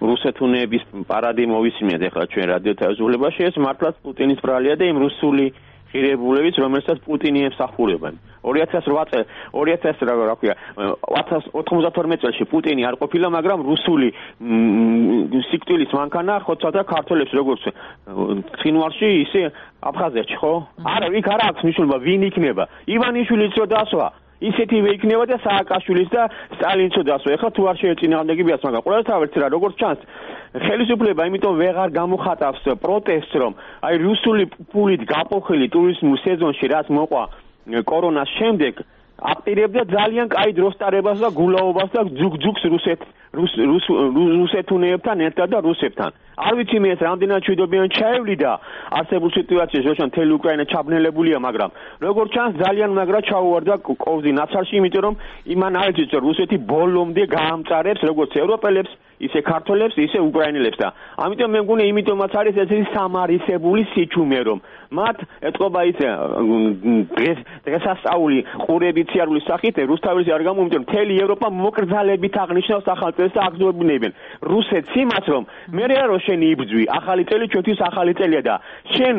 რუსეთუნების პარადი მოვისმინეთ ახლა ჩვენ რადიო თავისუფლებაში ეს მართლაც პუტინის ბრალია და იმ რუსული ღირებულებიც რომელსაც პუტინი ემსახურებენ ორი ათას ოთხ წელი ორი ათას რა ქვია ოთხმოცდათორმეტ წელში პუტინი არ ყოფილა მაგრამ რუსული სიკვდილის მანქანა ხოცავდა ქართველებს როგორც ცხინვალში ისე აფხაზეთში ხო არა იქ არ აქვს მნიშვნელობა ვინ იქნება ივანიშვილიც რო დასვა ისეთივე იქნება და სააკაშვილის და სტალინიც რო დასვა ეხლა თუ არ შეეწინააღმდეგებიათ მაგრამ ყოველთავად რა როგორც ჩანს ხელისუფლება იმიტომ ვეღარ გამოხატავს პროტესტს რომ აი რუსული პულით გაპოხილი ტურიზმულ სეზონში რაც მოყვა კორონას შემდეგ აპირებდა ძალიან კაი დროსტარებას და გულაობას და ძუგ-ძუგს რუსეთ რუსეთუნებთან ერთად და რუსებთან არ ვიცი მე ეს რამდენად ჩვიდობიან ჩაევლიდა არსებულ სიტუაციაში როცა მთელი უკრაინა ჩაბნელებულია მაგრამ როგორც ჩანს ძალიან მაგრა ჩაუვარდა კოვზი ნაცარში იმიტომ რომ იმან არ იცის რომ რუსეთი ბოლომდე გაამწარებს როგორც ევროპელებს ისე ქართველებს ისე უკრაინელებს და ამიტომ მე მგონი იმიტომაც არის ესეთი სამარისებული სიჩუმე რომ მათ ეთყობა ისე დღეს დღესასწაული ყურებით სიარულის სახით რუსთავის არ გამომიწევს მთელი ევროპა მოკრძალებით აღნიშნავს ახალ და აგზნობინებენ რუსეთს იმას რომ მე რა რო შენ იბძვი ახალი წელი ჩვენთვის ახალი წელია და შენ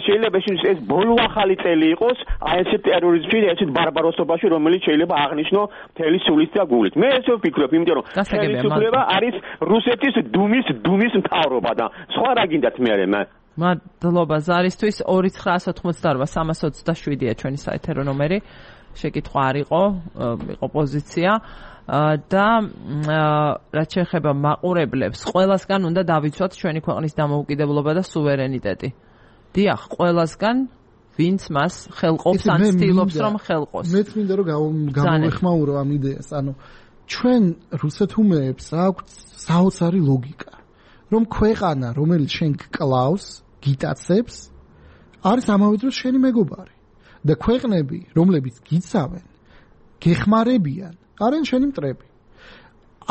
შეიძლება ეს ბოლო ახალი წელი იყოს აი ეს ტერორიზმში და ეს ბარბაროსობაში რომელიც შეიძლება აღნიშნო მთელი სულით და გულით მე ესე ვფიქრობ იმიტომ რომ ხელისუფლება არის რუსეთის დუმის დუმის მთავრობა და სხვა რა გინდათ მე მე მადლობა ზარისთვის ორი ცხრა ოთხმოცდაოთხ სამას ოცდაშვიდია ჩვენი საეთერო ნომერი შეკითხვა არ იყო იყო პოზიცია და რაც შეეხება მაყურებლებს ყველასგან უნდა დავიცვათ ჩვენი ქვეყნის დამოუკიდებლობა და სუვერენიტეტი დიახ ყველასგან ვინც მას ხელყოფს ან ცდილობს რომ ხელყოს მეც მინდა რომ გამოვეხმაურო ამ იდეას ანუ ჩვენ რუსეთუმეებს აქვს საოცარი ლოგიკა რომ ქვეყანა რომელიც შენ გკლავს გიტაცებს არის ამავე დროს შენი მეგობარი და ქვეყნები რომლებიც გიცავენ გეხმარებიან არიან შენი მტრები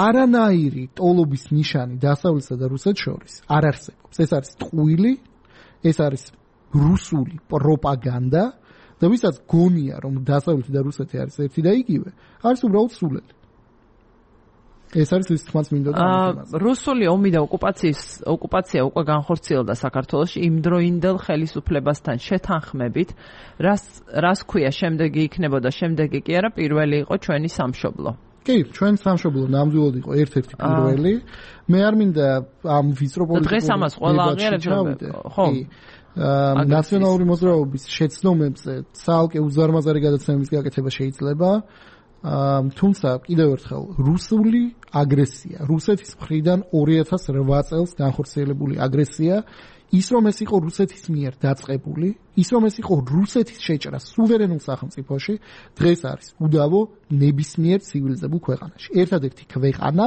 არანაირი ტოლობის ნიშანი დასავლეთსა და რუსეთს შორის არ არსებობს ეს არის ტყუილი ეს არის რუსული პროპაგანდა და ვისაც გონია რომ დასავლეთი და რუსეთი არის ერთი და იგივე არის უბრალოდ სულელი ეს არის ის თქმაც მინდოდა ამაზე. რუსული ომი და ოკუპაციის ოკუპაცია უკვე განხორციელდა საქართველოში იმ დროინდელ ხელისუფლებასთან შეთანხმებით, რას რას ქვია შემდეგი იქნებოდა, შემდეგი კი არა პირველი იყო ჩვენი სამშობლო. კი, ჩვენ სამშობლო ნამდვილად იყო ერთ-ერთი პირველი. მე არ მინდა ამ ვიწრო პოლიტიკურ დღეს ამას ყველა აღიარებს, ხო? ნაციონალური მოძრაობის შეცდომებზე ცალკე უზარმაზარი გადაცემების გაკეთება შეიძლება. თუმცა კიდევ ერთხელ რუსული აგრესია რუსეთის მხრიდან ორი ათას რვა წელს განხორციელებული აგრესია ის რომ ეს იყო რუსეთის მიერ დაწყებული ის რომ ეს იყო რუსეთის შეჭრა სუვერენულ სახელმწიფოში დღეს არის უდავო ნებისმიერ ცივილიზებულ ქვეყანაში ერთადერთი ქვეყანა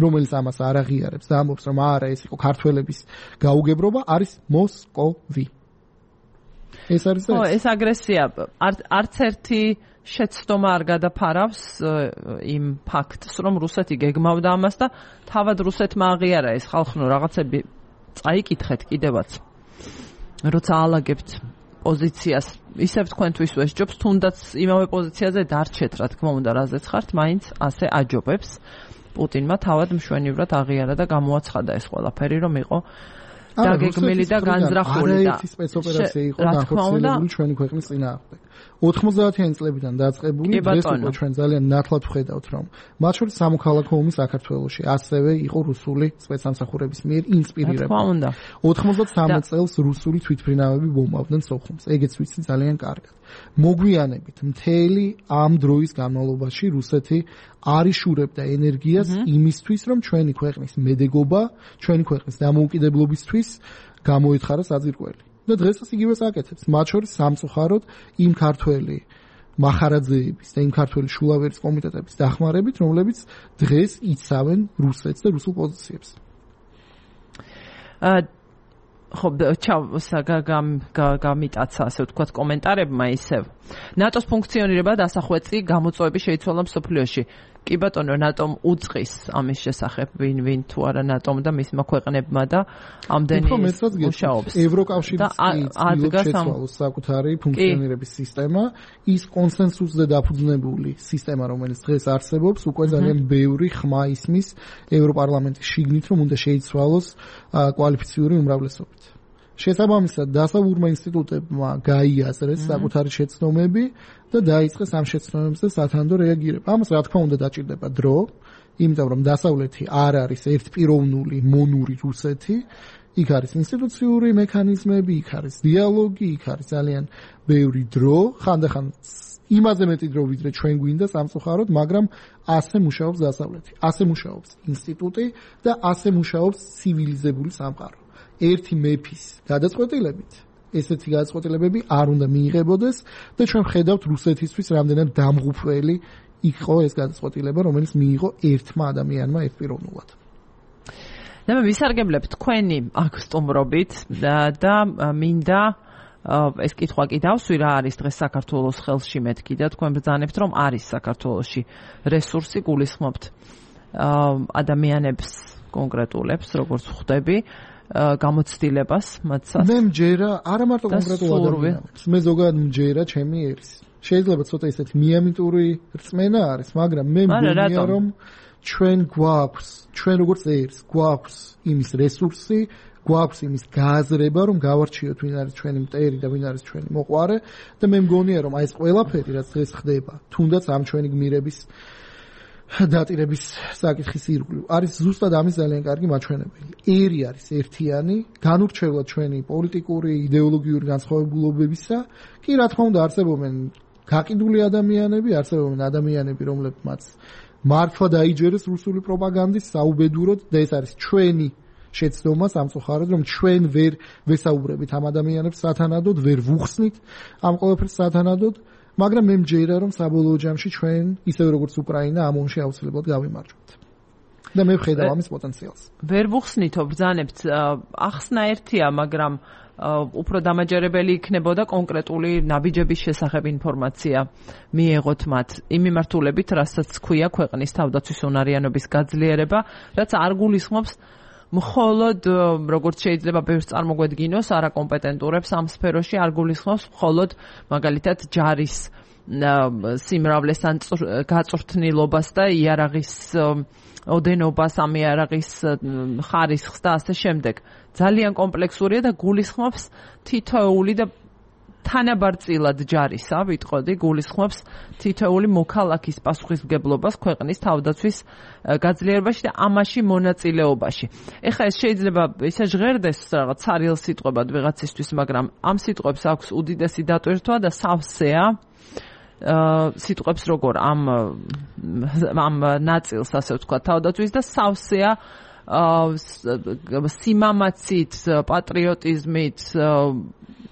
რომელიც ამას არ აღიარებს და ამბობს რომ არა ეს იყო ქართველების გაუგებრობა არის მოსკოვი ეს არის ხო ეს აგრესია არც ერთი შეცდომა არ გადაფარავს იმ ფაქტს, რომ რუსეთი გეგმავდა ამას და თავად რუსეთმა აღიარა ეს ხალხნო რაღაცები წაიკითხეთ კიდევაც. როცა ალაგებთ პოზიციას, ისევ თქვენთვის ვესჯობს, თუნდაც იმავე პოზიციაზე დარჩეთ, რა თქმა უნდა, რაზეც ხართ, მაინც ასე აჯობებს. პუტინმა თავად მშვენივრად აღიარა და გამოაცხადა ეს ყველაფერი, რომ იყო დაგეგმილი და განზრახული და არაერთი სპეცოპერაცია იყო განხორციელებული ჩვენი ქვეყნის წინააღმდეგ. ოთხმოცდაათიანი წლებიდან დაწყებული დღეს უკვე ჩვენ ძალიან ნათლად ვხედავთ რომ მათ შორის სამოქალაქო ომი საქართველოში ასევე იყო რუსული სპეცსამსახურების მიერ ინსპირირებული. ოთხმოცდასამი წელს რუსული თვითმფრინავები ბომბავდნენ სოხუმს. ეგეც ვიცი ძალიან კარგად. მოგვიანებით მთელი ამ დროის განმავლობაში რუსეთი არ იშურებდა ენერგიას იმისთვის რომ ჩვენი ქვეყნის მედეგობა, ჩვენი ქვეყნის დამოუკიდებლობისთვის გამოეთხარა საძირკველი. და დღესაც იგივეს აკეთებს. მათ შორის სამწუხაროდ იმ ქართველი მახარაძეების და იმ ქართველი შულავერის კომიტეტების დახმარებით, რომლებიც დღეს იცავენ რუსეთს და რუსულ პოზიციებს. აა ხო, ჩავ გამიტაცა ასე ვთქვათ კომენტარებმა ისევ. ნატოს ფუნქციონირება დასახვეწი გამოწვევები შეიცვალა მსოფლიოში. კი ბატონო, ნატომ უწყის ამის შესახებ ვინ ვინ თუ არა ნატომ და მისმა ქვეყნებმა და ამდენი მუშაობს. ევროკავშირის შეცვალოს საკუთარი ფუნქციონირების სისტემა, ის კონსენსუსზე დაფუძნებული სისტემა, რომელიც დღეს არსებობს, უკვე ძალიან ბევრი ხმა ისმის ევროპარლამენტის შიგნით, რომ უნდა შეიცვალოს კვალიფიციური უმრავლესობით. შესაბამისად, დასავლურმა ინსტიტუტებმა გაიაზრეს საკუთარი შეცდომები და დაიწყეს ამ შეცდომებზე სათანდო რეაგირება. ამას რა თქმა უნდა დაჭირდება დრო, იმიტომ რომ დასავლეთი არ არის ერთპიროვნული მონური რუსეთი, იქ არის ინსტიტუციური მექანიზმები, იქ არის დიალოგი, იქ არის ძალიან ბევრი დრო, ხანდახან იმაზე მეტი დრო ვიდრე ჩვენ გვინდა სამწუხაროდ, მაგრამ ასე მუშაობს დასავლეთი. ასე მუშაობს ინსტიტუტი და ასე მუშაობს ცივილიზებული სამყარო. ერთი მეფის გადაწყვეტილებით ესეთი გადაწყვეტილებები არ უნდა მიიღებოდეს და ჩვენ ვხედავთ რუსეთისთვის რამდენად დამღუპველი იყო ეს გადაწყვეტილება, რომელიც მიიღო ერთმა ადამიანმა ერთპიროვნულად. და მე ვისარგებლებ თქვენი აქ სტუმრობით და მინდა ეს კითხვა კი დავსვი, რა არის დღეს საქართველოს ხელში მეთქი და თქვენ ბრძანებთ, რომ არის საქართველოში რესურსი, გულისხმობთ ადამიანებს კონკრეტულებს, როგორც ხვდები გამოცდილებას მათსას. მე მჯერა არა მარტო კონკრეტულ ადამიანებს, მე ზოგადად მჯერა ჩემი ერის. შეიძლება ცოტა ისეთი მიამიტური რწმენა არის, მაგრამ მე მგონია რომ ჩვენ გვაქვს, ჩვენ როგორც ერს, გვაქვს იმის რესურსი, გვაქვს იმის გააზრება, რომ გავარჩიოთ ვინ არის ჩვენი მტერი და ვინ არის ჩვენი მოყვარე და მე მგონია, რომ აი ეს ყველაფერი, რაც დღეს ხდება, თუნდაც ამ ჩვენი გმირების დატირების საკითხის ირგვლივ, არის ზუსტად ამის ძალიან კარგი მაჩვენებელი. ერი არის ერთიანი, განურჩევლად ჩვენი პოლიტიკური, იდეოლოგიური განსხვავებულობებისა, კი რა თქმა უნდა არსებობენ გაყიდული ადამიანები, არსებობენ ადამიანები, რომლებმაც მართლა დაიჯერეს რუსული პროპაგანდის საუბედუროდ და ეს არის ჩვენი შეცდომა სამწუხაროდ, რომ ჩვენ ვერ ვესაუბრებით ამ ადამიანებს სათანადოდ, ვერ ვუხსნით ამ ყველაფერს სათანადოდ, მაგრამ მე მჯერა, რომ საბოლოო ჯამში ჩვენ, ისევე როგორც უკრაინა, ამ ომში აუცილებლად გავიმარჯვებთ. და მე ვხედავ ამის პოტენციალს. ვერ ვუხსნითო, ბრძანებთ, ახსნა ერთია, მაგრამ უფრო დამაჯერებელი იქნებოდა კონკრეტული ნაბიჯების შესახებ ინფორმაცია მიეღოთ მათ იმ მიმართულებით, რასაც ქვია ქვეყნის თავდაცვის უნარიანობის გაძლიერება, რაც არ გულისხმობს მხოლოდ როგორც შეიძლება ბევრს წარმოგვედგინოს არაკომპეტენტურებს ამ სფეროში, არ გულისხმობს მხოლოდ მაგალითად ჯარის სიმრავლეს ან გაწვრთნილობას და იარაღის ოდენობას, ამ იარაღის ხარისხს და ასე შემდეგ. ძალიან კომპლექსურია და გულისხმობს თითოეული და თანაბარწილად ჯარისა, ვიტყოდი, გულისხმობს თითოეული მოქალაქის პასუხისმგებლობას ქვეყნის თავდაცვის გაძლიერებაში და ამაში მონაწილეობაში. ეხლა ეს შეიძლება ისე ჟღერდეს რაღაც ცარიელ სიტყვებად ვიღაცისთვის, მაგრამ ამ სიტყვებს აქვს უდიდესი დატვირთვა და სავსეა სიტყვებს როგორ ამ ამ ნაწილს, ასე ვთქვათ, თავდაცვის და სავსეა სიმამაცით, პატრიოტიზმით,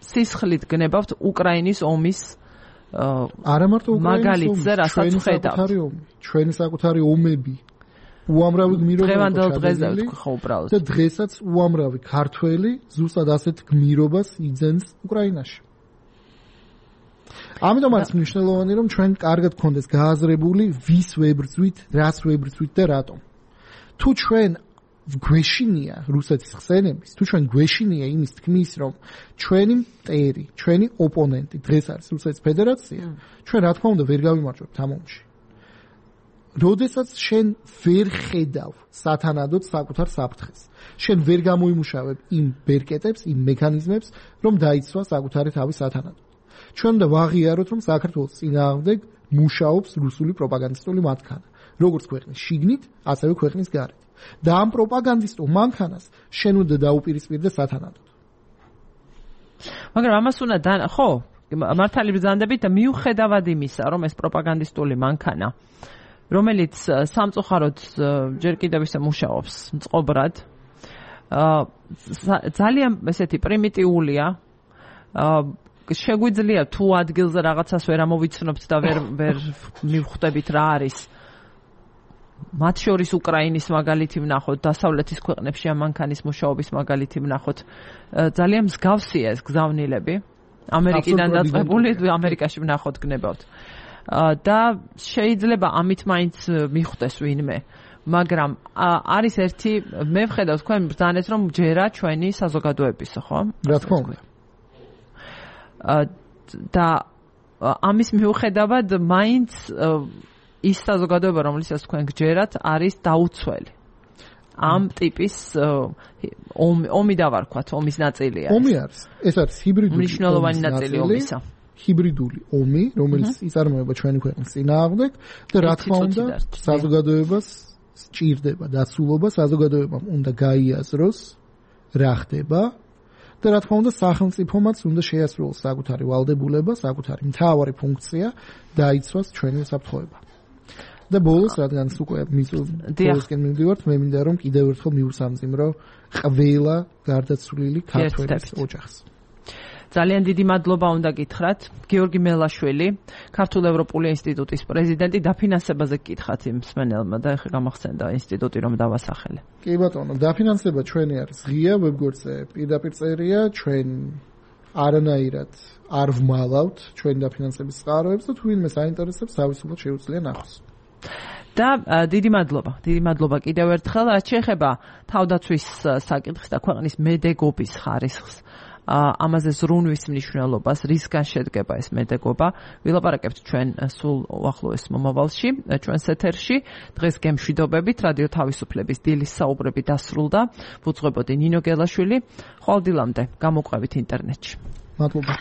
სისხლით გნებავთ უკრაინის ომის არა მარტო უკრაინის ომი, რასაც ხედავთ. ჩვენი საკუთარი ომები უამრავი გმირობა დღევანდელ დღეზე ვთქვი ხო უბრალოდ. და დღესაც უამრავი ქართველი ზუსტად ასეთ გმირობას იძენს უკრაინაში. ამიტომ არის მნიშვნელოვანი, რომ ჩვენ კარგად გქონდეს გააზრებული, ვის ვებრძვით, რას ვებრძვით და რატომ. თუ ჩვენ გვეშინია რუსეთის ხსენების, თუ ჩვენ გვეშინია იმის თქმის, რომ ჩვენი მტერი, ჩვენი ოპონენტი დღეს არის რუსეთის ფედერაცია, ჩვენ რა თქმა უნდა ვერ გავიმარჯვებთ ამ ომში. როდესაც შენ ვერ ხედავ სათანადოდ საკუთარ საფრთხეს, შენ ვერ გამოიმუშავებ იმ ბერკეტებს, იმ მექანიზმებს, რომ დაიცვა საკუთარი თავი სათანადოდ. ჩვენ უნდა ვაღიაროთ, რომ საქართველოს წინააღმდეგ მუშაობს რუსული პროპაგანდისტული მანქანა, როგორც ქვეყნის შიგნით, ასევე ქვეყნის გარეთ. და ამ პროპაგანდისტულ მანქანას შენ უნდა დაუპირისპირდე სათანადოდ. მაგრამ ამას უნდა და ხო, მართალი ბრძანდებით და მიუხედავად იმისა, რომ ეს პროპაგანდისტული მანქანა, რომელიც სამწუხაროდ ჯერ კიდევ ისე მუშაობს მწყობრად, ძალიან ესეთი პრიმიტიულია, შეგვიძლია თუ ადგილზე რაღაცას ვერ ამოვიცნობთ და ვერ ვერ მივხვდებით რა არის. მათ შორის უკრაინის მაგალითი ვნახოთ, დასავლეთის ქვეყნებში ამ მანქანის მუშაობის მაგალითი ვნახოთ. ძალიან მსგავსია ეს გზავნილები. ამერიკიდან დაწყებული, ამერიკაში ვნახოთ გნებავთ. და შეიძლება ამით მაინც მიხვდეს ვინმე. მაგრამ არის ერთი, მე ვხედავ თქვენ ბრძანეთ, რომ ჯერა ჩვენი საზოგადოებისა, ხო? რა თქმა უნდა. და ამის მიუხედავად მაინც ის საზოგადოება, რომელსაც თქვენ გჯერათ, არის დაუცველი. ამ ტიპის ომი, ომი დავარქვათ, ომის ნაწილია. ომი არის. ეს არის ჰიბრიდული მნიშვნელოვანი ნაწილი ომისა. ჰიბრიდული ომი, რომელიც იწარმოება ჩვენი ქვეყნის წინააღმდეგ და რა თქმა უნდა, საზოგადოებას სჭირდება დაცულობა, საზოგადოებამ უნდა გაიაზროს რა ხდება. და რა თქმა უნდა სახელმწიფომაც უნდა შეასრულოს საკუთარი ვალდებულება, საკუთარი მთავარი ფუნქცია დაიცვას ჩვენი უსაფრთხოება. და ბოლოს რადგან უკვე მისულისკენ მივდივართ, მე მინდა რომ კიდევ ერთხელ მიუსამძიმრო ყველა გარდაცვლილი ქართველის ოჯახს. ძალიან დიდი მადლობა უნდა გითხრათ გიორგი მელაშვილი, ქართულ-ევროპული ინსტიტუტის პრეზიდენტი, დაფინანსებაზე გკითხათ იმ მსმენელმა და ეხლა გამახსენდა ინსტიტუტი რომ დავასახელე. კი ბატონო, დაფინანსება ჩვენი არის ღია, ვებგვერდზე პირდაპირ წერია, ჩვენ არანაირად არ ვმალავთ ჩვენი დაფინანსების წყაროებს და თუ ვინმე საინტერესებს, თავისუფლად შეუძლია ნახოს. და დიდი მადლობა, დიდი მადლობა კიდევ ერთხელ, რაც შეეხება თავდაცვის საკითხს და ქვეყნის მედეგობის ხარისხს. ამაზე ზრუნვის მნიშვნელობას, რისგან შედგება ეს მედეგობა. ვილაპარაკებთ ჩვენ სულ უახლოეს მომავალში, ჩვენს ეთერში. დღეს გემშვიდობებით, რადიო თავისუფლების დილის საუბრები დასრულდა. ვუძღვებოდი ნინო გელაშვილი. ხვალ დილამდე გამოყვებით ინტერნეტში. მადლობა.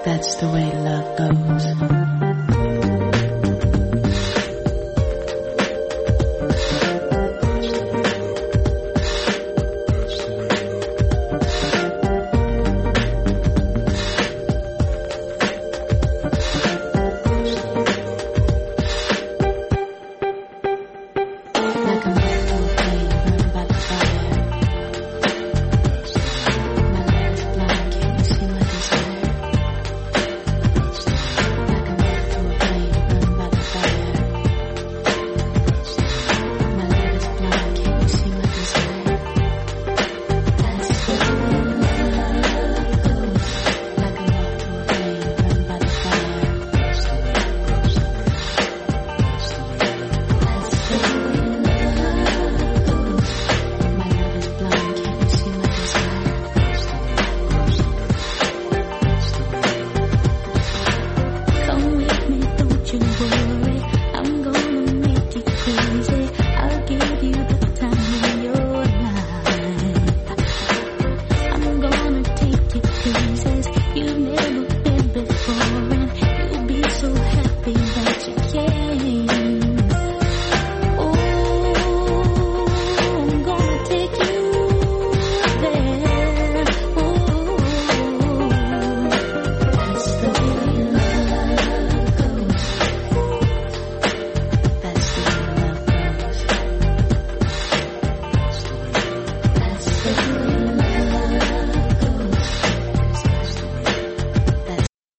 That's the way love goes.